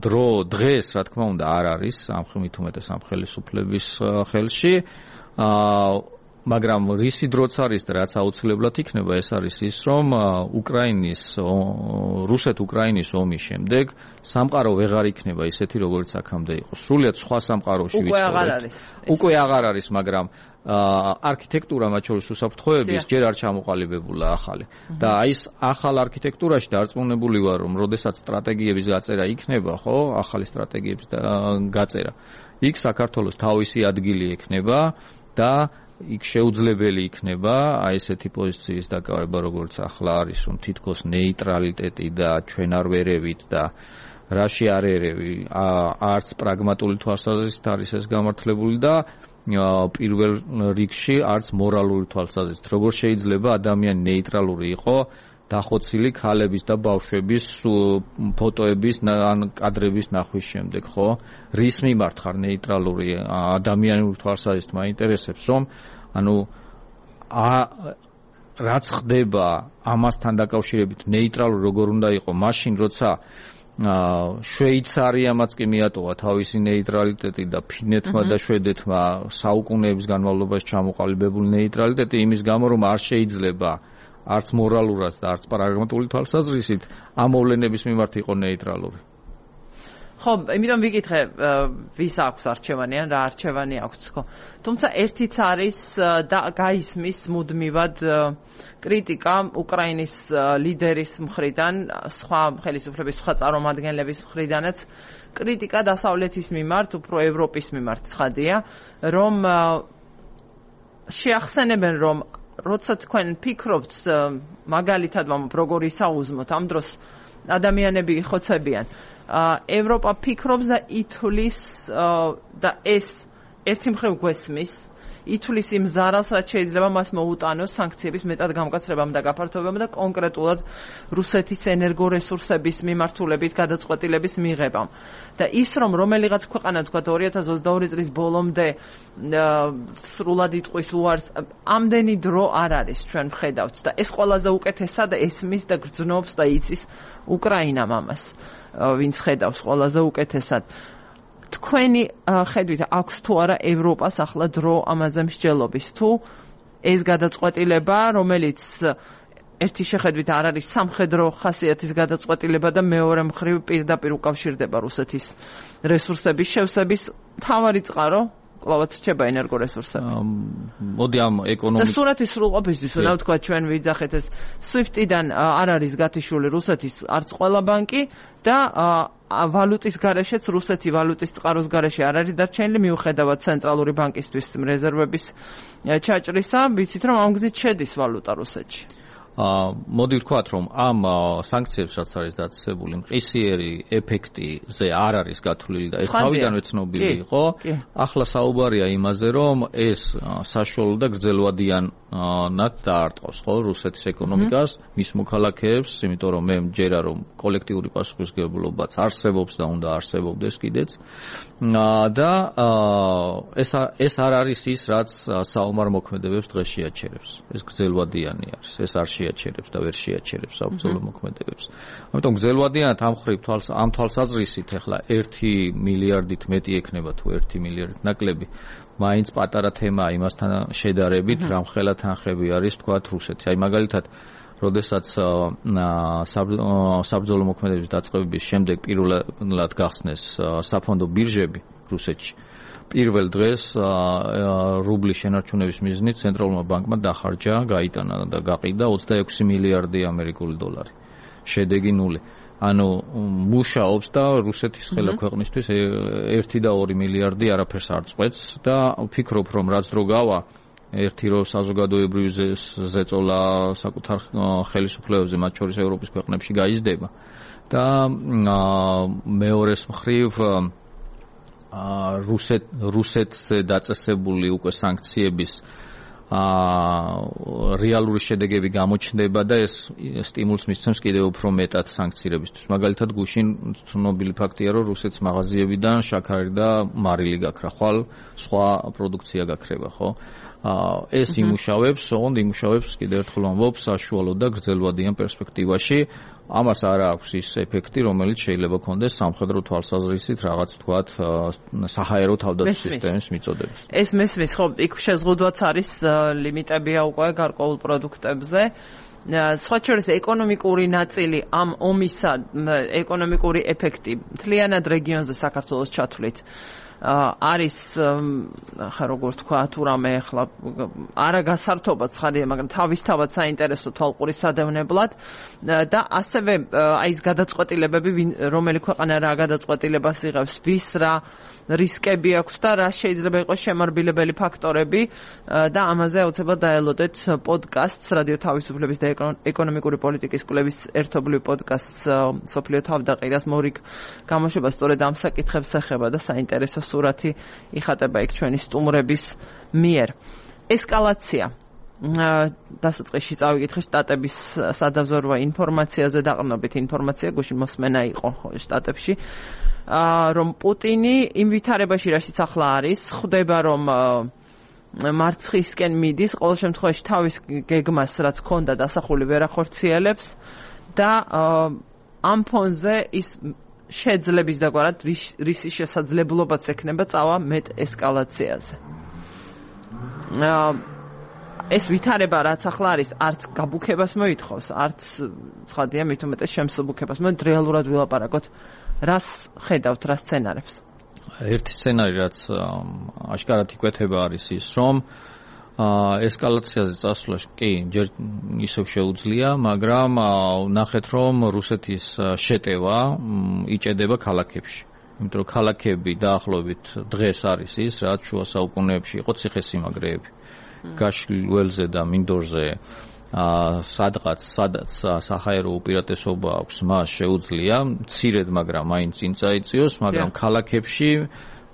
დრო დღეს, რა თქმა უნდა, არ არის ამხმით უმეტეს ამ ხელისუფლების ხელში. მაგრამ რისი დროც არის და რაც აუცილებლად იქნება, ეს არის ის, რომ რუსეთ-უკრაინის ომის შემდეგ სამყარო ვეღარ იქნება ისეთი, როგორც აქამდე იყო. სრულიად სხვა სამყაროში ვიცხოვრობთ. უკვე აღარ არის, მაგრამ არქიტექტურა, მათ შორის უსაფრთხოების, ჯერ არ ჩამოყალიბებულა ახალი. და აი ეს ახალ არქიტექტურაში დარწმუნებული ვარ, რომ როდესაც სტრატეგიების გაწერა იქნება, ხო, ახალი სტრატეგიების გაწერა, იქ საქართველოს თავისი ადგილი ექნება და იქ შეუძლებელი იქნება აი ესეთი პოზიციის დაკავება, როგორც ახლა არის, რომ თითქოს ნეიტრალიტეტი და ჩვენ არ ვერევით და რაში არ ერევი, არც პრაგმატული თვალსაზრისით არის ეს გამართლებული და პირველ რიგში არც მორალური თვალსაზრისით. როგორ შეიძლება ადამიანი ნეიტრალური იყო დახოცილი ქალების და ბავშვების ფოტოების ან კადრების ნახვის შემდეგ, ხო? რის მიმართ ხარ ნეიტრალური ადამიანური თვალსაზრისით მაინტერესებს, რომ ანუ რაც ხდება ამასთან დაკავშირებით ნეიტრალური როგორ უნდა იყო მაშინ, როცა შვეიცარიამაც კი მიატოვა თავისი ნეიტრალიტეტი და ფინეთმა და შვედეთმა საუკუნეების განმავლობაში ჩამოყალიბებული ნეიტრალიტეტი იმის გამო, რომ არ შეიძლება არც მორალურად და არც პრაგმატული თვალსაზრისით ამ მოვლენების მიმართ იყო ნეიტრალური. ხო, იმიტომ ვიკითხე, ვის აქვს არჩევანი ან რა არჩევანი აქვს, ხო. თუმცა ერთიც არის და გაისმის მუდმივად კრიტიკა უკრაინის ლიდერის მხრიდან, სხვა ხელისუფლების, სხვა წარმომადგენლების მხრიდანაც კრიტიკა დასავლეთის მიმართ, უფრო ევროპის მიმართ ცხადია, რომ შეახსენებენ, რომ როცა თქვენ ფიქრობთ მაგალითად როგორი საუზმოთ ამ დროს ადამიანები იხოცებიან ევროპა ფიქრობს და ითვლის და ეს ერთი მხრივ გვესმის ითვლის იმ ზარალს, რაც შეიძლება მას მოუტანოს სანქციების მეტად გამკაცრებამ და გაფართოებამ და კონკრეტულად რუსეთის ენერგორესურსების მიმართულებით გადაწყვეტილების მიღებამ. და ის რომელიღაც ქვეყანა თქვა 2022 წლის ბოლომდე სრულად იტყვის უარს, ამდენი დრო არ არის ჩვენ ვხედავთ და ეს ყველაზე უკეთესად ესმის და გრძნობს და იცის უკრაინამ ამას, ვინც ხედავს ყველაზე უკეთესად. თქვენი ხედვით აქვს თუ არა ევროპას ახლა დრო ამაზე მსჯელობის, თუ ეს გადაწყვეტილება, რომელიც ერთი შეხედვით არ არის სამხედრო ხასიათის გადაწყვეტილება და მეორე მხრივ პირდაპირ უკავშირდება რუსეთის რესურსების შევსების მთავარი წყარო კლავაც რჩება ენერგორესურსები. მოდი ამ ეკონომიკის და სურათის სრულყოფისთვის უნდა ვთქვა ჩვენ ვიძახეთ ეს SWIFT-დან არ არის გათიშული რუსეთის არც ყველა ბანკი და ვალუტის გარეშეც რუსეთი ვალუტის წყაროს გარეშე არ არის დარჩენილი მიუხედავად ცენტრალური ბანკისთვის რეზერვების ჩაჭრისა, ვიცით რომ ამ გზით შედის ვალუტა რუსეთში. მოდი ვთქვათ, რომ ამ სანქციებს რაც არის დაწესებული, მყისიერი ეფექტიზე არ არის გათვლილი და ეს თავიდანვე ცნობილი იყო. ახლა საუბარია იმაზე, რომ ეს საშუალო და გრძელვადიანად დაარტყავს ხო რუსეთის ეკონომიკას, მის მოქალაქეებს, იმიტომ რომ მე მჯერა რომ კოლექტიური პასუხისმგებლობაც არსებობს და უნდა არსებობდეს კიდეც. და ეს არ არის ის, რაც საომარ მოქმედებებს დღეს შეაჩერებს. ეს გრძელვადიანი არის. ეს არ შეაჩერებს და ვერ შეაჩერებს საბრძოლო მოქმედებებს. ამიტომ გრძელვადიანად ამ თვალსაზრისით ახლა 1 მილიარდით მეტი ექნება თუ 1 მილიარდით ნაკლები, მაინც პატარა თემაა იმასთან შედარებით, რამხელა თანხები არის თქვათ რუსეთი. აი მაგალითად, როდესაც საბრძოლო მოქმედების დაწყებების შემდეგ პირველად გახსნეს საფონდო ბირჟები რუსეთში, პირველ დღეს რუბლის შენარჩუნების მიზნით ცენტრალურმა ბანკმა დახარჯა, გაიტანა და გაყიდა 26 მილიარდი ამერიკული დოლარი. შედეგი 0. ანუ მუშაობს და რუსეთის ხელა ქვეყნისთვის 1 და 2 მილიარდი არაფერს არ წყვეტს და ვფიქრობ, რომ რაც დრო გავა, ერთი რო საზოგადოებრივი ზეწოლა საკუთარ ხელისუფლებებზე, მათ შორის ევროპის ქვეყნებში გაიზრდება და მეორეს მხრივ რუსეთზე დაწესებული უკვე სანქციების რეალური შედეგები გამოჩნდება და ეს სტიმულს მისცემს კიდევ უფრო მეტად სანქციებისთვის. მაგალითად, გუშინ ცნობილი ფაქტია, რომ რუსეთის მაღაზიებიდან შაქარი და მარილი გაქრა, ხვალ სხვა პროდუქცია გაქრება, ხო? ეს იმუშავებს, ოღონდ იმუშავებს კიდევ ერთხელ ვამბობ საშუალო და გრძელვადიან პერსპექტივაში. ამას არ აქვს ის ეფექტი, რომელიც შეიძლება ქონდეს სამხედრო თვალსაზრისით რაღაც თქვათ საჰაერო თავდაცვის სისტემის მიწოდებით. ეს მესმის, ხო, იქ შეზღუდვაც არის ლიმიტებია უკვე გარკვეულ პროდუქტებზე. სხვა შორის ეკონომიკური ნაწილი ამ ომისა, ეკონომიკური ეფექტი მთლიანად რეგიონზე საქართველოს ჩათვლით არის ხა როგორ თქვა თუ რამე ახლა არა გასართობად ხარია, მაგრამ თავისთავად საინტერესო თვალყური სადევნებლად და ასევე აი ეს გადაწყვეტილებები რომელი ქვეყანა რა გადაწყვეტილებას იღებს, ვის რა რისკები აქვს და რა შეიძლება იყოს შემარბილებელი ფაქტორები და ამაზე აუცილებლად დაელოდეთ პოდკასტს რადიო თავისუფლების და ეკონომიკური პოლიტიკის კვლევის ერთობლივ პოდკასტს სოფლიო თავდაყირას მორიგ გამოშვება სწორედ ამ საკითხებს ეხება და საინტერესო სურათი იხატება იქ ჩვენი სტუმრების მიერ. ესკალაცია. დასაწყისში წავიკითხე შტატების სადაზვერვო ინფორმაციაზე, დაყრდნობით ინფორმაცია, გუშინ მოსმენა იყო შტატებში, რომ პუტინი იმ ვითარებაში, რაშიც ახლა არის, ხვდება რომ მარცხისკენ მიდის, ყოველ შემთხვევაში თავის გეგმას, რაც ჰქონდა დასახული ვერ ახორციელებს და ამ ფონზე ის შეძლების დაგვარად რისი შესაძლებლობაც ექნება წავა მეტ ესკალაციაზე. ეს ვითარება რაც ახლა არის, არც გაბუქებას მოითხოვს, არც ცხადია მით უმეტეს შემსუბუქებას. მე რეალურად ვილაპარაკოთ, რას ხედავთ, რა სცენარებს? ერთი სცენარი, რაც აშკარად იკვეთება არის ის, რომ ესკალაციაზე წასვლა კი ჯერ ისევ შეუძლია, მაგრამ ნახეთ, რომ რუსეთის შეტევა იჭედება ქალაქებში. იმიტომ რომ ქალაქები დაახლოებით დღეს არის ის, რაც შუა საუკუნეებში იყო ციხესიმაგრეები. გაშლილ ველზე და მინდორზე სადღაც საჰაერო უპირატესობა აქვს, მას შეუძლია მცირედ, მაგრამ მაინც წინ წაიწიოს, მაგრამ ქალაქებში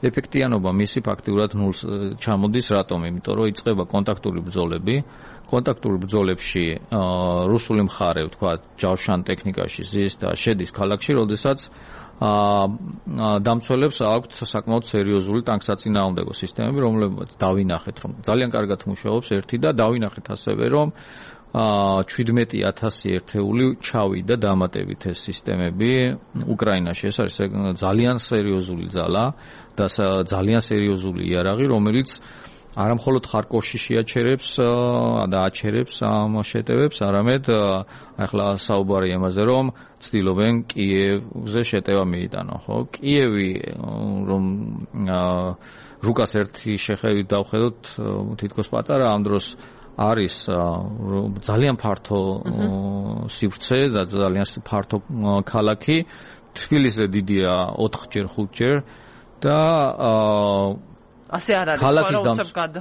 ეფექტიანობა მისი ფაქტიურად ნულს ჩამოდის, რატომ? იმიტომ რომ იწყება კონტაქტური ბრძოლები. კონტაქტურ ბრძოლებში რუსული მხარე, თქვა, ჯავშან ტექნიკაში ზის და შედის ქალაქში, როდესაც დამცველებს აქვთ საკმაოდ სერიოზული ტანკსაწინააღმდეგო სისტემები, რომლებიც დავინახეთ, რომ ძალიან კარგად მუშაობს ერთი და დავინახეთ ასევე, რომ 17,000 ერთეული ჩავიდა დამატებით ეს სისტემები უკრაინაში. ეს არის ძალიან სერიოზული ძალა და ძალიან სერიოზული იარაღი, რომელიც არა მხოლოდ ხარკოვში შეაჩერებს და აჩერებს ამ შეტევებს, არამედ ახლა საუბარი იმაზე, რომ ცდილობენ კიევზე შეტევა მიიტანონ, ხო? კიევი რომ რუკას ერთი შეხედვით დავხედოთ, თითქოს პატარა ამ დროს არის ძალიან ფართო სივრცე და ძალიან ფართო ქალაქი. თბილისზე დიდია 4-ჯერ 5-ჯერ და ასე არ არის,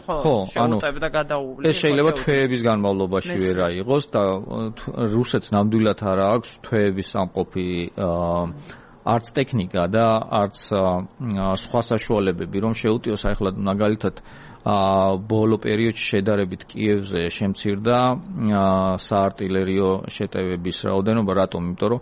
ხო, შეუტევდა გადაუვლი. ეს შეიძლება თვეების განმავლობაში ვერ აიღოს და რუსეთს ნამდვილად არ აქვს თვეების სამყოფი არც ტექნიკა და არც სხვა საშუალებები, რომ შეუტიოს. ახლა მაგალითად ბოლო პერიოდში შედარებით კიევზე შემცირდა საარტილერიო შეტევების რაოდენობა, რატომ? იმიტომ რომ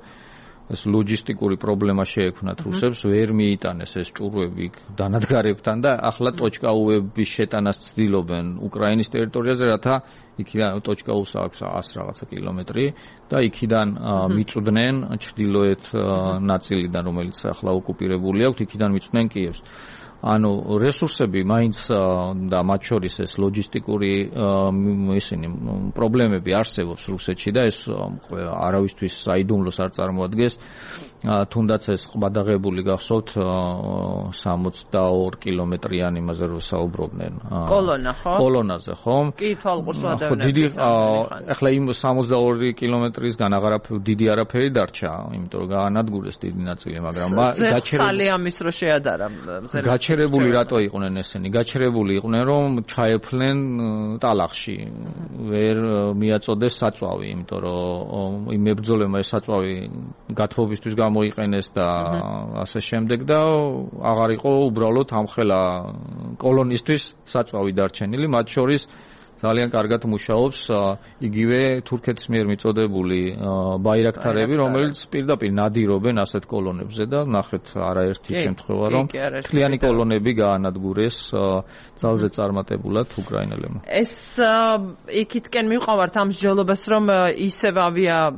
ეს ლოჯისტიკური პრობლემა შეექმნათ რუსებს, ვერ მიიტანეს ეს ჭურვები დანადგარებთან და ახლა ტოჩკაუების შეტანას ცდილობენ უკრაინის ტერიტორიაზე, რათა იქიდან ტოჩკაუს აქვს 100 რაღაცა კილომეტრი და იქიდან მიწვდნენ ჩრდილოეთ ნაწილიდან, რომელიც ახლა ოკუპირებული აქვს, იქიდან მიწვდნენ კიევს. ანუ რესურსები მაინც და მათ შორის ეს ლოჯისტიკური ისინი პრობლემები არსებობს რუსეთში და ეს არავისთვის საიდუმლოს არ წარმოადგენს. თუნდაც ეს ყბადაღებული გახსოვთ 62 კილომეტრიანი იმაზე რომ საუბრობდნენ. კოლონა, ხო? კოლონაზე, ხო? კი, თვალყურს ვადევნებთ. ხო, დიდი ახლა იმ 62 კილომეტრისგან დიდი არაფერი დარჩა, იმიტომ რომ გაანადგურეს დიდი ნაწილი, მაგრამ გაჩერებული ამის რო შეადარა. გაჩერებული რატო იყვნენ ესენი? გაჩერებული იყვნენ, რომ ჩაეფლნენ ტალახში. ვერ მიაწოდეს საწვავი, იმიტომ რომ იმ მებრძოლებმა ეს საწვავი გათბობისთვის გამოიყენეს და ასე შემდეგ და აღარ იყო უბრალოდ ამხელა კოლონისტვის საწვავი დარჩენილი, მათ შორის ძალიან კარგად მუშაობს იგივე თურქეთის მიერ მიწოდებული ბაირაქტარები, რომელიც პირდაპირ ნადირობენ ასეთ კოლონებზე და ნახეთ არაერთი შემთხვევა, რომ თლიანი კოლონები გაანადგურეს ძალზე წარმატებულად უკრაინელებმა. ეს იქითკენ მივყავართ ამ მსჯელობას, რომ ისევ ავია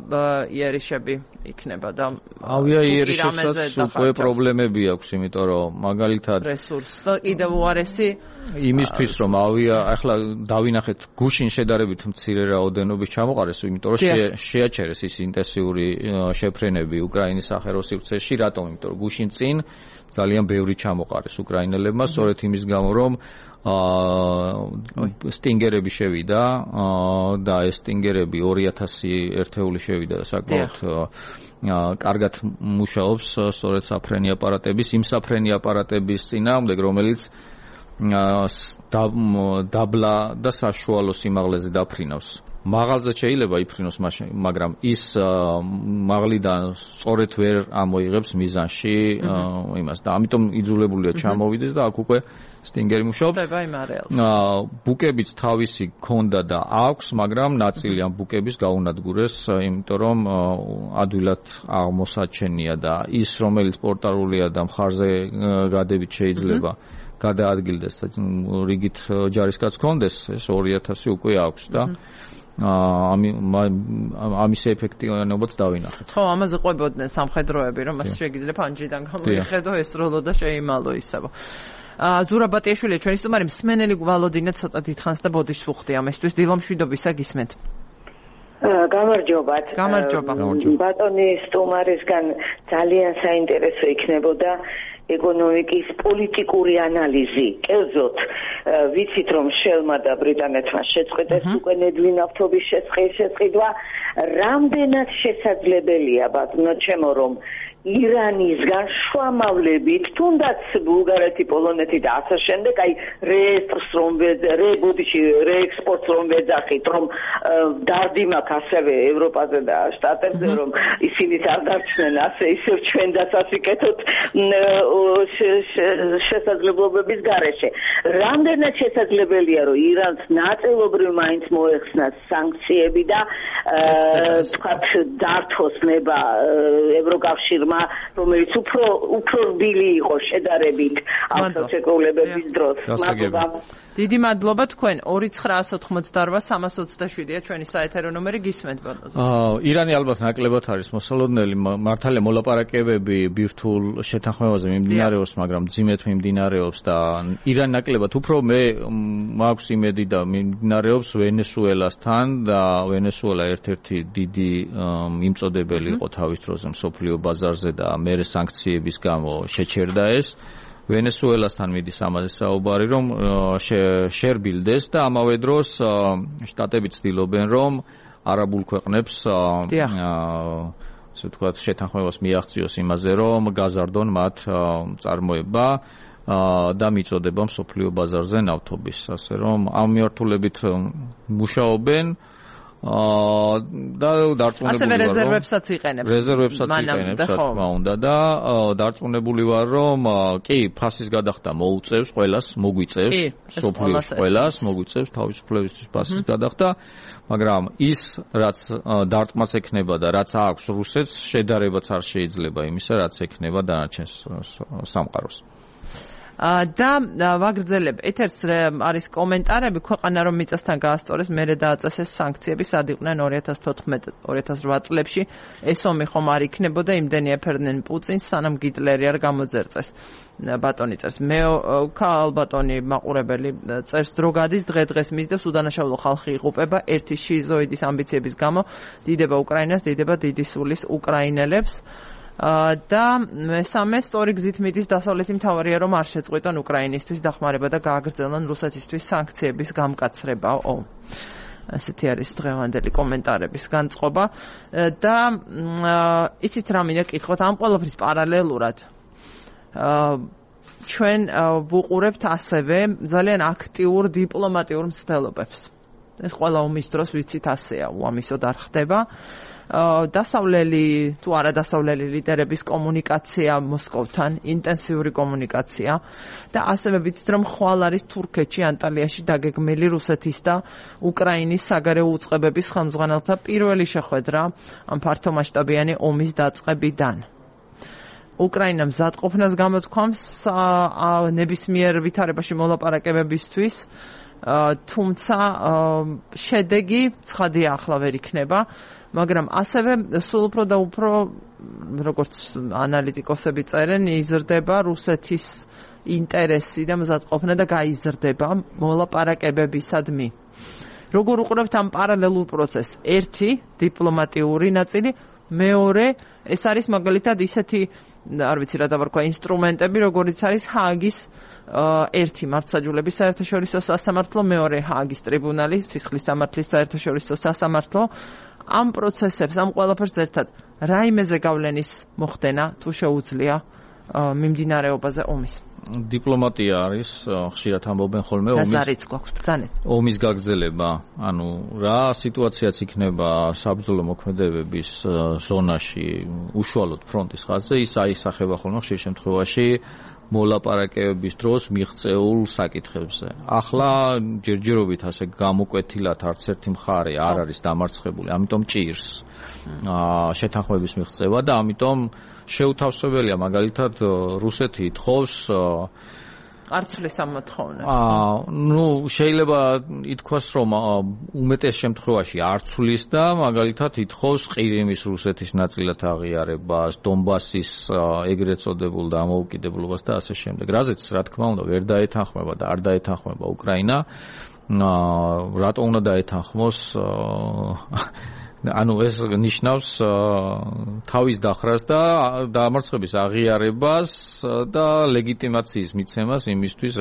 იერიშები იქნება და ავია იერიშებსაც უკვე პრობლემები აქვს, იმიტომ რომ მაგალითად რესურს და კიდევ უარესი იმისთვის რომ ავია ახლა დავინახეთ გუშინ შედარებით მცირე რაოდენობის ჩამოყარეს, იმიტომ რომ შეაჩერეს ის ინტენსიური შეფრენები უკრაინის სახელოს სივრცეში, რატომ? იმიტომ რომ გუშინ წინ ძალიან ბევრი ჩამოყარეს უკრაინელებმა, სწორედ იმის გამო რომ სტინგერები შევიდა და ეს სტინგერები 2000 ერთეული შევიდა და საკმაოდ კარგად მუშაობს სწორედ საფრენი აპარატების, იმ საფრენი აპარატების წინააღმდეგ, რომელიც დაბლა და საშუალო სიმაღლეზე დაფრინავს. მაღალზე შეიძლება იფრინოს, მაგრამ ის მაღლიდან სწორედ ვერ ამოიღებს მიზანში იმას და ამიტომ იძულებულია ჩამოვიდეს და აქ უკვე სტინგერი მუშაობს. ბუკებიც თავისი ქონდა და აქვს, მაგრამ ნაწილი ამ ბუკების გაუნადგურეს, იმიტომ რომ ადვილად აღმოსაჩენია და ის რომელიც პორტალურია და მხარზე გადებით შეიძლება გადაადგილდეს და რიგით ჯარისკაც ქონდეს, ეს 2000 უკვე აქვს და ამის ეფექტიანობაც დავინახეთ. ხო, ამაზე ყვებოდნენ სამხედროები, რომ მას შეგიძლია ფანჯრიდან გამოიხედო, ესროლო და შეიმალო ისევ. ზურაბ ბატიაშვილი, ჩვენი სტუმარი, მსმენელი ვალოდინა ცოტა დიდხანს და ბოდიშს ვუხდი ამისთვის. დილომშვიდობისა გისმენთ. გამარჯობათ. გამარჯობა. ბატონი სტუმარისგან ძალიან საინტერესო იქნებოდა ეკონომიკის პოლიტიკური ანალიზი. კერძოდ, ვიცით რომ შელმა და ბრიტანეთმა შეწყვეტეს უკვე ნედლი ნავთობის შეწყიდვა, რამდენად შესაძლებელია, ბატონო ჩემო, რომ ირანისგან შუამავლებით, თუნდაც ბულგარეთი, პოლონეთი და ასე შემდეგ, აი რეექსპორტს რომ ვეძახით, რომ დარდი მაქვს ასევე ევროპაზე და შტატებზე, რომ ისინიც არ დარჩნენ ასე ისევ ჩვენ დასასიკეთოთ შესაძლებლობების გარეშე. რამდენად შესაძლებელია, რომ ირანს ნაწილობრივ მაინც მოეხსნას სანქციები და თქვათ დართოს ნება ევროკავშირმა, რომელიც უფრო რბილი იყო შედარებით ავტოცეკულებების დროს. დიდი მადლობა თქვენ 2988-327-ია ჩვენი საეთერო ნომერი გისმენთ ბატონო. ირანი ალბათ ნაკლებად არის მოსალოდნელი, მართალია მოლაპარაკებები ბირთვულ შეთანხმებაზე მიმდინარეობს, მაგრამ ძიმეთ მიმდინარეობს და ირანი ნაკლებად უფრო მე მაქვს იმედი და მიმდინარეობს ვენესუელასთან და ვენესუელა ერთ-ერთი დიდი მიმწოდებელი იყო თავის დროზე მსოფლიო ბაზარზე და მერე სანქციების გამო შეჩერდა ეს. ვენესუელასთან მიდის ამაზე საუბარი, რომ შერბილდეს და ამავე დროს შტატები ცდილობენ, რომ არაბულ ქვეყნებს ასე ვთქვათ შეთანხმებას მიაღწიოს იმაზე, რომ გაზარდონ მათ წარმოება და მიწოდება მსოფლიო ბაზარზე ნავთობის, ასე რომ ამ მიმართულებით მუშაობენ და დარწმუნებული ვარ, ასევე რეზერვებსაც იყენებს. რა თქმა უნდა და დარწმუნებული ვარ, რომ კი, ფასის გადახდა მოუწევს ყველას, მოგვიწევს, სოფლიოს ყველას, მოგვიწევს თავისუფლებისთვის ფასის გადახდა, მაგრამ ის, რაც დარტყმას ექნება და რაც აქვს რუსეთს, შედარებაც არ შეიძლება იმისა, რაც ექნება დანარჩენ სამყაროს. და ვაგრძელებ ეთერს არის კომენტარები, ქვეყანა რომ მიწასთან გაასწორეს, მერე დააწესეს სანქციები, სად იყვნენ 2014-2008 წლებში, ეს ომი ხომ არ იქნებოდა, იმდენი ეფერდნენ პუტინს, სანამ გიტლერი არ გამოძერწეს. ბატონი წერს, მე ალბატონი მაყურებელი წერს, დრო გადის, დღე-დღეს მისდევს, უდანაშაულო ხალხი იღუპება, ერთი შიზოიდის ამბიციების გამო, დიდება უკრაინას, დიდება დიდი სულის უკრაინელებს. და მესამე სწორი გზით მიდის დასავლეთი მთავარია რომ არ შეწყვიტონ უკრაინისთვის დახმარება და გააგრძელონ რუსეთისთვის სანქციების გამკაცრებაო. ასეთი არის დღევანდელი კომენტარების განწყობა და იცით რა მინდა კითხოთ ამ ყველაფრის პარალელურად ჩვენ ვუყურებთ ასევე ძალიან აქტიურ დიპლომატიურ მცდელობებს. ეს ყველა ომის დროს ვიცით ასეა, უამისოდ არ ხდება. დასავლელი თუ არა დასავლელი ლიდერების კომუნიკაცია მოსკოვთან, ინტენსიური კომუნიკაცია და ასევე ვიცით რომ ხვალ არის თურქეთში ანტალიაში დაგეგმილი რუსეთის და უკრაინის საგარეო უწყებების ხელმძღვანელთა პირველი შეხვედრა ამ ფართომასშტაბიანი ომის დაწყებიდან. უკრაინა მზადყოფნას გამოთქვამს ნებისმიერ ვითარებაში მოლაპარაკებებისთვის, თუმცა შედეგი ცხადია ახლა ვერ იქნება. მაგრამ ასევე სულ უფრო და უფრო, როგორც ანალიტიკოსები წერენ, იზრდება რუსეთის ინტერესი და მზადყოფნა და გაიზრდება მოლაპარაკებებისადმი. როგორ უყურებთ ამ პარალელურ პროცესს? ერთი დიპლომატიური ნაწილი, მეორე ეს არის მაგალითად ისეთი, არ ვიცი რა დავარქვა, ინსტრუმენტები, როგორიც არის ჰააგის ერთი მართლმსაჯულების საერთაშორისო სასამართლო, მეორე ჰააგის ტრიბუნალი, სისხლის სამართლის საერთაშორისო სასამართლო. ამ პროცესებს, ამ ყველაფერს ერთად რაიმეზე გავლენის მოხდენა თუ შეუძლია მიმდინარეობაზე ომის? დიპლომატია არის, ხშირად ამბობენ ხოლმე ომის გაგრძელება. ანუ რა სიტუაციაც იქნება საბრძოლო მოქმედებების ზონაში, უშუალოდ ფრონტის ხაზზე, ის აისახება ხოლმე ხშირ შემთხვევაში მოლაპარაკებების დროს მიღწეულ საკითხებზე. ახლა ჯერჯერობით ასე გამოკვეთილად არც ერთი მხარე არ არის დამარცხებული, ამიტომ ჭირს შეთანხმების მიღწევა და ამიტომ შეუთავსებელია მაგალითად რუსეთი ითხოვს არცვლის ამოთხოვნას. შეიძლება ითქვას, რომ უმეტეს შემთხვევაში არცვლის და მაგალითად ითხოვს ყირიმის რუსეთის ნაწილად აღიარებას, დონბასის ეგრეთ წოდებულ დამოუკიდებლობას და ასე შემდეგ. რაზეც რა თქმა უნდა ვერ დაეთანხმება და არ დაეთანხმება უკრაინა. რატო უნდა დაეთანხმოს? ანუ ეს ნიშნავს თავის დახრას და დამარცხების აღიარებას და ლეგიტიმაციის მიცემას იმისთვის,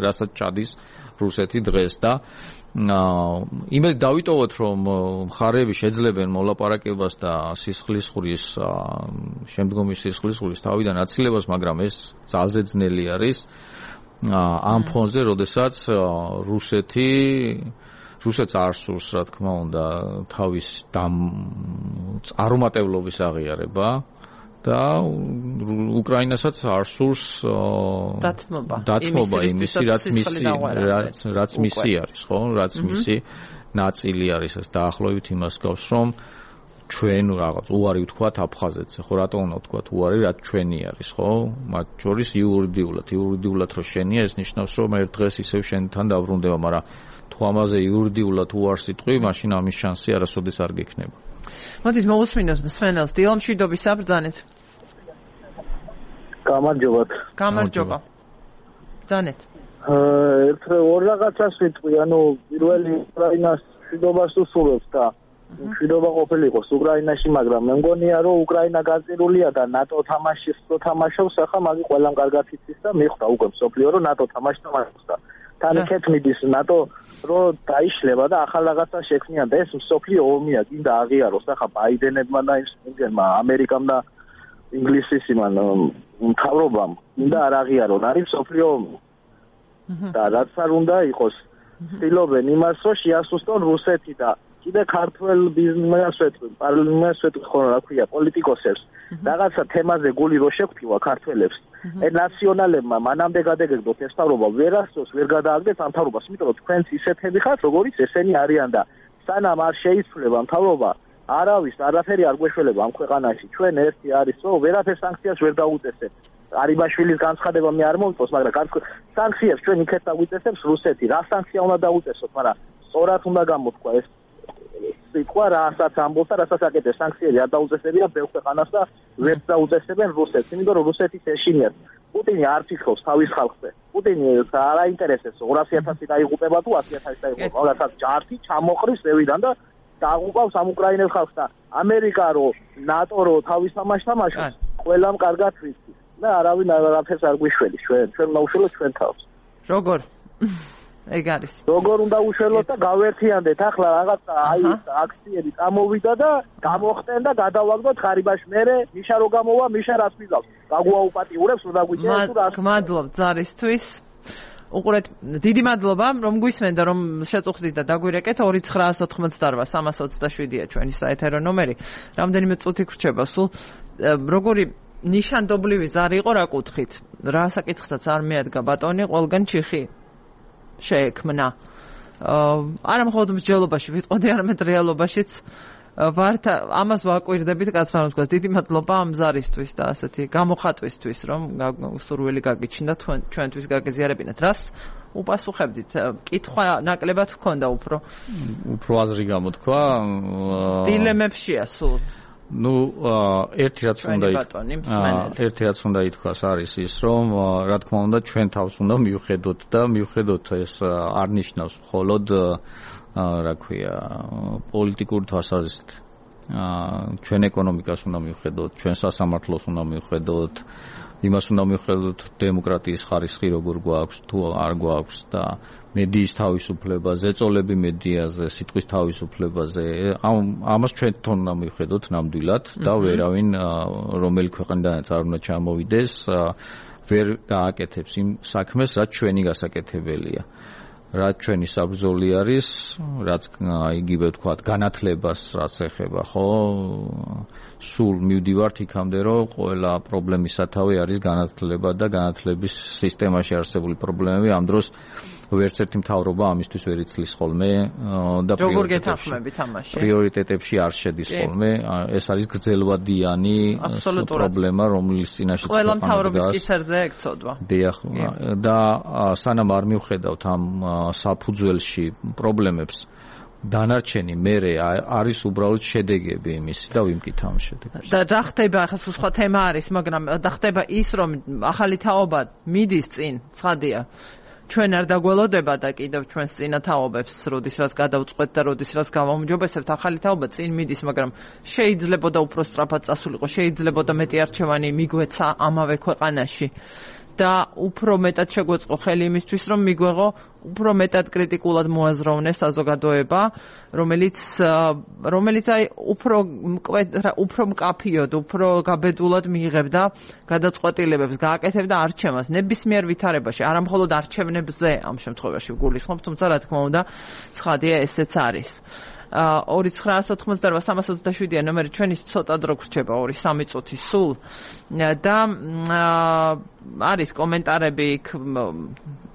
რასაც ჩადის რუსეთი დღეს და იმედ დავიტოვოთ, რომ მხარეები შეძლებენ მოლაპარაკებას და სისხლისღვრის შემდგომი სისხლისღვრის თავიდან აცილებას, მაგრამ ეს ძალზე ძნელი არის ამ ფონზე, როდესაც რუსეთს არ სურს, რა თქმა უნდა, თავის წარუმატებლობის აღიარება და უკრაინასაც არ სურს დათმობა იმისი, რაც მისი არის, ხო? რაც მისი ნაწილი არის, ეს დაახლოებით იმას გავს, რომ ჩვენ რაღაც უარი ვთქვათ აფხაზეთს, ხო, რატო უნდა ვთქვათ უარი, რაც ჩვენი არის, ხო? მათ შორის იურიდიულად რო შენია, ეს ნიშნავს, რომ ერთ დღეს ისევ შენთან დაბრუნდება, მაგრამ თუ ამაზე იურიდიულად უარს იტყვი, მაშინ ამის შანსი არასოდეს არ გექნება. მოდით მოვუსმინოთ მსმენელს, დილამშვიდობის საბრძანეთ. გამარჯობა. ბრძანეთ. ორ რაღაცას ვიტყვი, პირველი უკრაინას მშვიდობას უსურვებს და მშვიდობა ყოფილიყოს უკრაინაში, მაგრამ მე მგონია, რომ უკრაინა გაწირულია და ნატო თამაშის რო თამაშობს, ახლა მაგი ყველამ კარგად იცის და მიხვდა უკვე მსოფლიო, რომ ნატო თამაშობს და თან იქეთ მიდის ნატო რო დაიშლება და ახალ რაღაცას შექმნიან და ეს მსოფლიო ომია, გინდა აღიაროს ახლა ბაიდენებმა და იმგენმა ამერიკამ და ინგლისის იმან მთავრობამ და არ აღიარონ, არის მსოფლიო ომი. და რაც არ უნდა იყოს, ცდილობენ იმას, რომ შეასუსტონ რუსეთი და კიდე ქართველ პოლიტიკოსებს რაღაცა თემაზე გული რო შეგვთქვა ქართველებს. ნაციონალებმა მანამდე გადაგეგდოთ ეს თავრობა ვერასდროს ვერ გადააგდეთ ამ თავრობას, იმიტომ რომ თქვენც ისეთები ხართ, როგორიც ესენი არიან და სანამ არ შეიცვლება მთავრობა, არავის არაფერი არ გვეშველება ამ ქვეყანაში. ჩვენ ერთი არის, რომ ვერაფერ სანქციას ვერ დაუწესებთ. არიბაშვილის განცხადება მე არ მომწონს, მაგრამ სანქციებს ჩვენ იქეთ დაგვიწესებს რუსეთი. რა სანქცია უნდა დაუწესოთ, მაგრამ სწორად უნდა გამოთქვა ეს სიტყვა, რასაც ამბობს და რასაც აკეთებს. სანქციები არ დაუწესებია ბევრ ქვეყანას და ვერ დაუწესებენ რუსეთს, იმიტომ რომ რუსეთის ეშინიათ. პუტინი არ ფიქრობს თავის ხალხზე. პუტინი არ აინტერესებს 200,000 დაიღუპება თუ 100,000 დაიღუპება. რაღაცა ჯართი ჩამოყრის ზევიდან და დააღუპავს ამ უკრაინელ ხალხს და ამერიკა რო ნატო რო თავის თამაშობს, ყველამ კარგად ვიცი. და არავინ არაფერს არ გვიშველის ჩვენ უნდა უშველოთ ჩვენ თავს. როგორ? ეგ არის. როგორ უნდა უშველოთ და გავერთიანდეთ ახლა რაღაცა აქციები წამოვიდა და გამოხტენ და გადავაგდოთ ხარიბაში. მერე მიშა რო გამოვა, მიშა რას მიგავს? გაგვაუპატიურებს რომ დაგვიჭერს თუ რას? მადლობთ ზარისთვის. უყურეთ, დიდი მადლობა, რომ გვისმენდა, რომ შეწუხდით და დაგვირეკეთ 2988327-ია ჩვენი საეთერო ნომერი. რამდენიმე წუთი გრჩება სულ. როგორი ნიშანდობლივი ზარი იყო, რა კუთხით? რა საკითხსაც არ მეადგა ბატონი, ყველგან ჩიხი შეექმნა. არა მხოლოდ მსჯელობაში, ვიტყოდი, არამედ რეალობაშიც ვართ ამას ვაკვირდებით, კაცმან ვთქვა, დიდი მადლობა ამ ზარისთვის და ასეთი გამოხატვისთვის, რომ სურვილი გაგიჩნდა ჩვენთვის გაგეზიარებინათ. რას უპასუხებდით? კითხვა ნაკლებად ჰქონდა უფრო აზრი გამოთქვა. დილემებშია სულ. ერთი რაც უნდა ითქვას არის ის, რომ რა თქმა უნდა ჩვენ თავს უნდა მივხედოთ და მივხედოთ ეს არ ნიშნავს მხოლოდ რა ქვია პოლიტიკური თვალსაზრისით. ჩვენ ეკონომიკას უნდა მივხედოთ, ჩვენ სასამართლოს უნდა მივხედოთ, იმას უნდა მივხედოთ დემოკრატიის ხარისხი როგორ გვაქვს თუ არ გვაქვს და მედიის თავისუფლებაზე, წოლები მედიაზე, სიტყვის თავისუფლებაზე. ამას ჩვენ თვითონ უნდა მივხედოთ ნამდვილად და ვერავინ რომელი ქვეყნიდანაც არ უნდა ჩამოვიდეს, ვერ გააკეთებს იმ საქმეს, რაც ჩვენი გასაკეთებელია. რაც ჩვენი საბრძოლი არის, რაც იგივე ვთქვათ, განათლებას რაც ეხება, ხო? სულ მივდივართ იქამდე, რომ ყველა პრობლემის სათავე არის განათლება და განათლების სისტემაში არსებული პრობლემები. ამ დროს ვერც ერთი მთავრობა ამისთვის ვერ იცლის ხოლმე და როგორ გეთანხმებით ამაში? პრიორიტეტებში არ შედის ხოლმე. ეს არის გრძელვადიანი პრობლემა, რომლის წინაშე ყველა მთავრობის კისერზე ეკცოდვა. დიახ, და სანამ არ მივხედავთ ამ საფუძველში პრობლემებს, დანარჩენი მერე არის უბრალოდ შედეგები იმისი და ვიმკით ამ შედეგებს. და ხდება, ახლა სხვა თემა არის, მაგრამ და ხდება ის, რომ ახალი თაობა მიდის წინ, ცხადია. ჩვენ არ დაგველოდება და კიდევ ჩვენს წინა თაობებს, როდის რაც გადავწყვეტ და როდის რაც გავაუმჯობესებთ, ახალი თაობა წინ მიდის, მაგრამ შეიძლებოდა უფრო სწრაფად წასულიყო, შეიძლებოდა მეტი არჩევანი მიგვეცა ამავე ქვეყანაში. და უფრო მეტად შეგვეწყო xeli იმისთვის, რომ მიგვეღო უფრო მეტად კრიტიკულად მოაზროვნე საზოგადოება, რომელიც აი უფრო მკაფიოდ, უფრო გაბედულად მიიღებდა გადაწყვეტილებებს, გააკეთებდა არჩევას ნებისმიერ ვითარებაში, არა მხოლოდ არჩევნებზე ამ შემთხვევაში ვგულისხმობ, თუმცა რა თქმა უნდა, ცხადია ესეც არის. 2988-327 ნომერი ჩვენის ცოტა დრო გრჩება 2-3 წუთი სულ და არის კომენტარები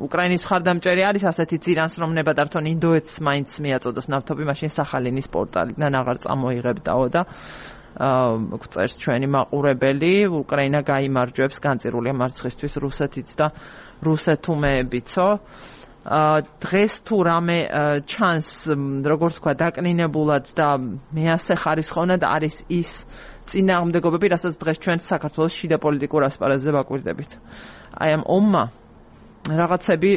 უკრაინის მხარდამჭერი არის ასეთი ძირანსრომნება დართონ ინდოეთს მაინც მიაწოდოს ნავთობი მაშინ სახალინის პორტალიდან აღარ წამოიღებდაო და წერს ჩვენი მაყურებელი უკრაინა გაიმარჯვებს განწირულია მარცხისთვის რუსეთიც და რუსეთუმეებიცო დღეს თუ რამე ჩანს როგორც თქვა დაკნინებულად და მეასე ხარისხოვნად არის ის წინააღმდეგობები, რასაც დღეს ჩვენ საქართველოს შიდა პოლიტიკურ ასპარეზზე ვაკვირდებით. აი ამ ომმა რაღაცები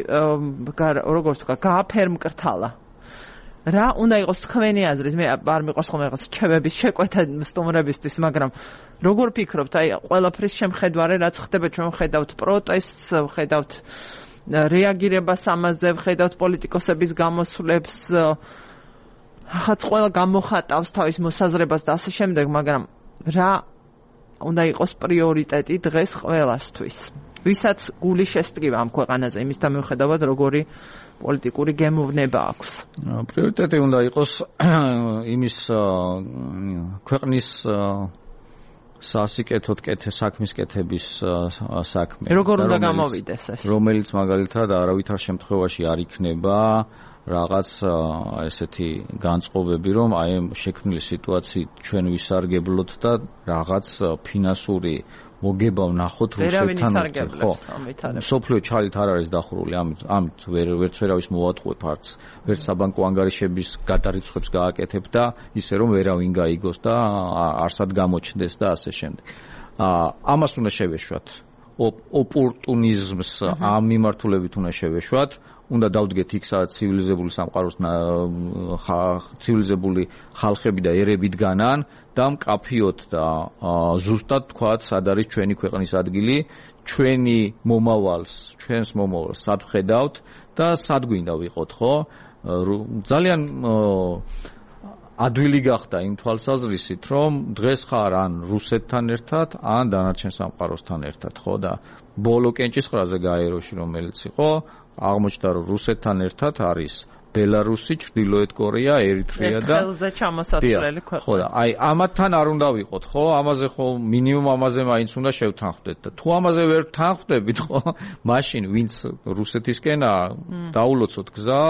როგორც თქვა გააფერმკრთალა. რა უნდა იყოს თქვენი აზრით? მე არ მიყვარს ხოლმე რაღაც რჩევების შეკვეთა სტუმრებისთვის, მაგრამ როგორ ფიქრობთ, აი ყველაფრის შემხედვარე რაც ხდება, ჩვენ ხედავთ პროტესტს, ხედავთ რეაგირებას ამაზე, ხედავთ პოლიტიკოსების გამოსვლებს, ახაც ყველა გამოხატავს თავის მოსაზრებას და ასე შემდეგ, მაგრამ რა უნდა იყოს პრიორიტეტი დღეს ყველასთვის? ვისაც გული შესტკივა ამ ქვეყანაზე, იმისთან მიუხედავად როგორი პოლიტიკური გემოვნება აქვს. პრიორიტეტი უნდა იყოს იმის ქვეყნის სასიკეთოდ საქმის კეთების საქმე. როგორ უნდა გამოვიდეს ეს? რომელიც მაგალითად არავითარ შემთხვევაში არ იქნება რაღაც ესეთი განწყობები, რომ აი ამ შექმნილი სიტუაციით ჩვენ ვისარგებლოთ და რაღაც ფინანსური მოგება ვნახოთ რუსეთთან ერთად. ხო, სოფლიო ჩალით არ არის დახურული, ამით ვერც ვერავის მოვატყუებ არც, ვერც საბანკო ანგარიშების გადარიცხვებს გააკეთებ და ისე რომ ვერავინ გაიგოს და არსად გამოჩნდეს და ასე შემდეგ. ამას უნდა შევეშვათ. ოპორტუნიზმს ამ მიმართულებით უნდა შევეშვათ. უნდა დავდგეთ იქ სადაც ცივილიზებული სამყაროს ცივილიზებული ხალხები და ერები დგანან და მკაფიოდ და ზუსტად თქვათ სად არის ჩვენი ქვეყნის ადგილი, ჩვენს მომავალს სად ხედავთ და სად გვინდა ვიყოთ, ხო? ძალიან ადვილი გახდა იმ თვალსაზრისით, რომ დღეს ხარ ან რუსეთთან ერთად, ან დანარჩენ სამყაროსთან ერთად, ხო? და ბოლო კენჭისყრაზე გაეროში რომელიც იყო აღმოჩნდა რომ რუსეთთან ერთად არის ბელარუსი, ჩრდილოეთ კორეა, ერიტრეა და ხელზე ჩამოსაცვლელი ქვეყნა. ხო და აი ამათთან არ უნდა ვიყოთ, ხო? ამაზე ხო მინიმუმ ამაზე მაინც უნდა შევთანხმდეთ და თუ ამაზე ვერ თანხმდებით, ხო? მაშინ ვინც რუსეთისკენაა, დაულოცოთ გზა,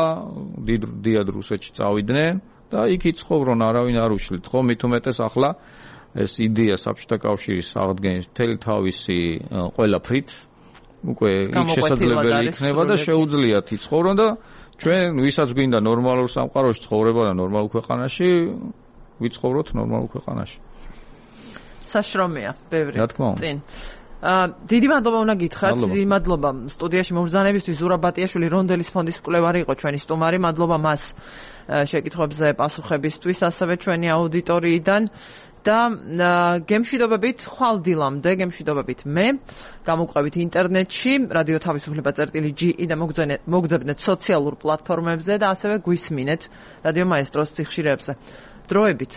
დიდ რუსეთში წავიდნენ და იქ იცხოვრონ, არავინ არ უშლით, ხო? მით უმეტეს ახლა ეს იდეა საბჭოთა კავშირის აღდგენის მთელი თავისი ყველაფრით უკვე შესაძლებელი იქნება და შეუძლიათ იცხოვრონ და ჩვენ ვისაც გვინდა ნორმალურ სამყაროში ცხოვრება და ნორმალურ ქვეყანაში ვიცხოვროთ ნორმალურ ქვეყანაში. საშრომია, ბევრი. რა თქმა უნდა. წინ. დიდი მადლობა უნდა გითხრათ, დიდი მადლობა სტუდიაში მობრძანებისთვის. ზურაბ ბატიაშვილი რონდელის ფონდის მკვლევარი იყო ჩვენი სტუმარი. მადლობა მას შეკითხვებზე პასუხებისთვის, ასევე ჩვენი აუდიტორიიდან. და გემშვიდობებით ხვალ დილამდე, გემშვიდობებით მე, გამოგვყევით ინტერნეტში, რადიო თავისუფლება.gi და მოგძებნეთ სოციალურ პლატფორმებზე და ასევე გვისმინეთ რადიო მაესტროს სიხშირეებზე. დროებით.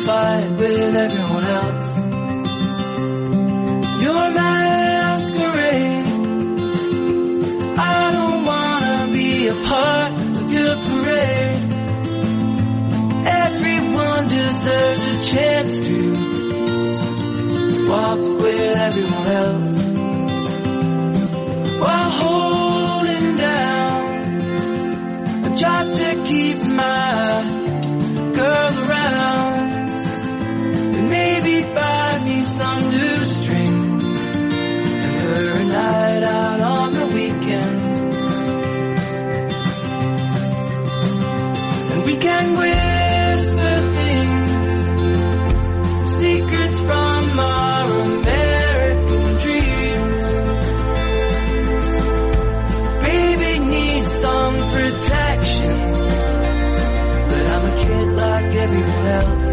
Fight with everyone else. You're my masquerade. I don't wanna be a part of your parade. Everyone deserves a chance to walk with everyone else while holding down a job to keep my girl around. Maybe buy me some new strings and her a night out on the weekend. we melt.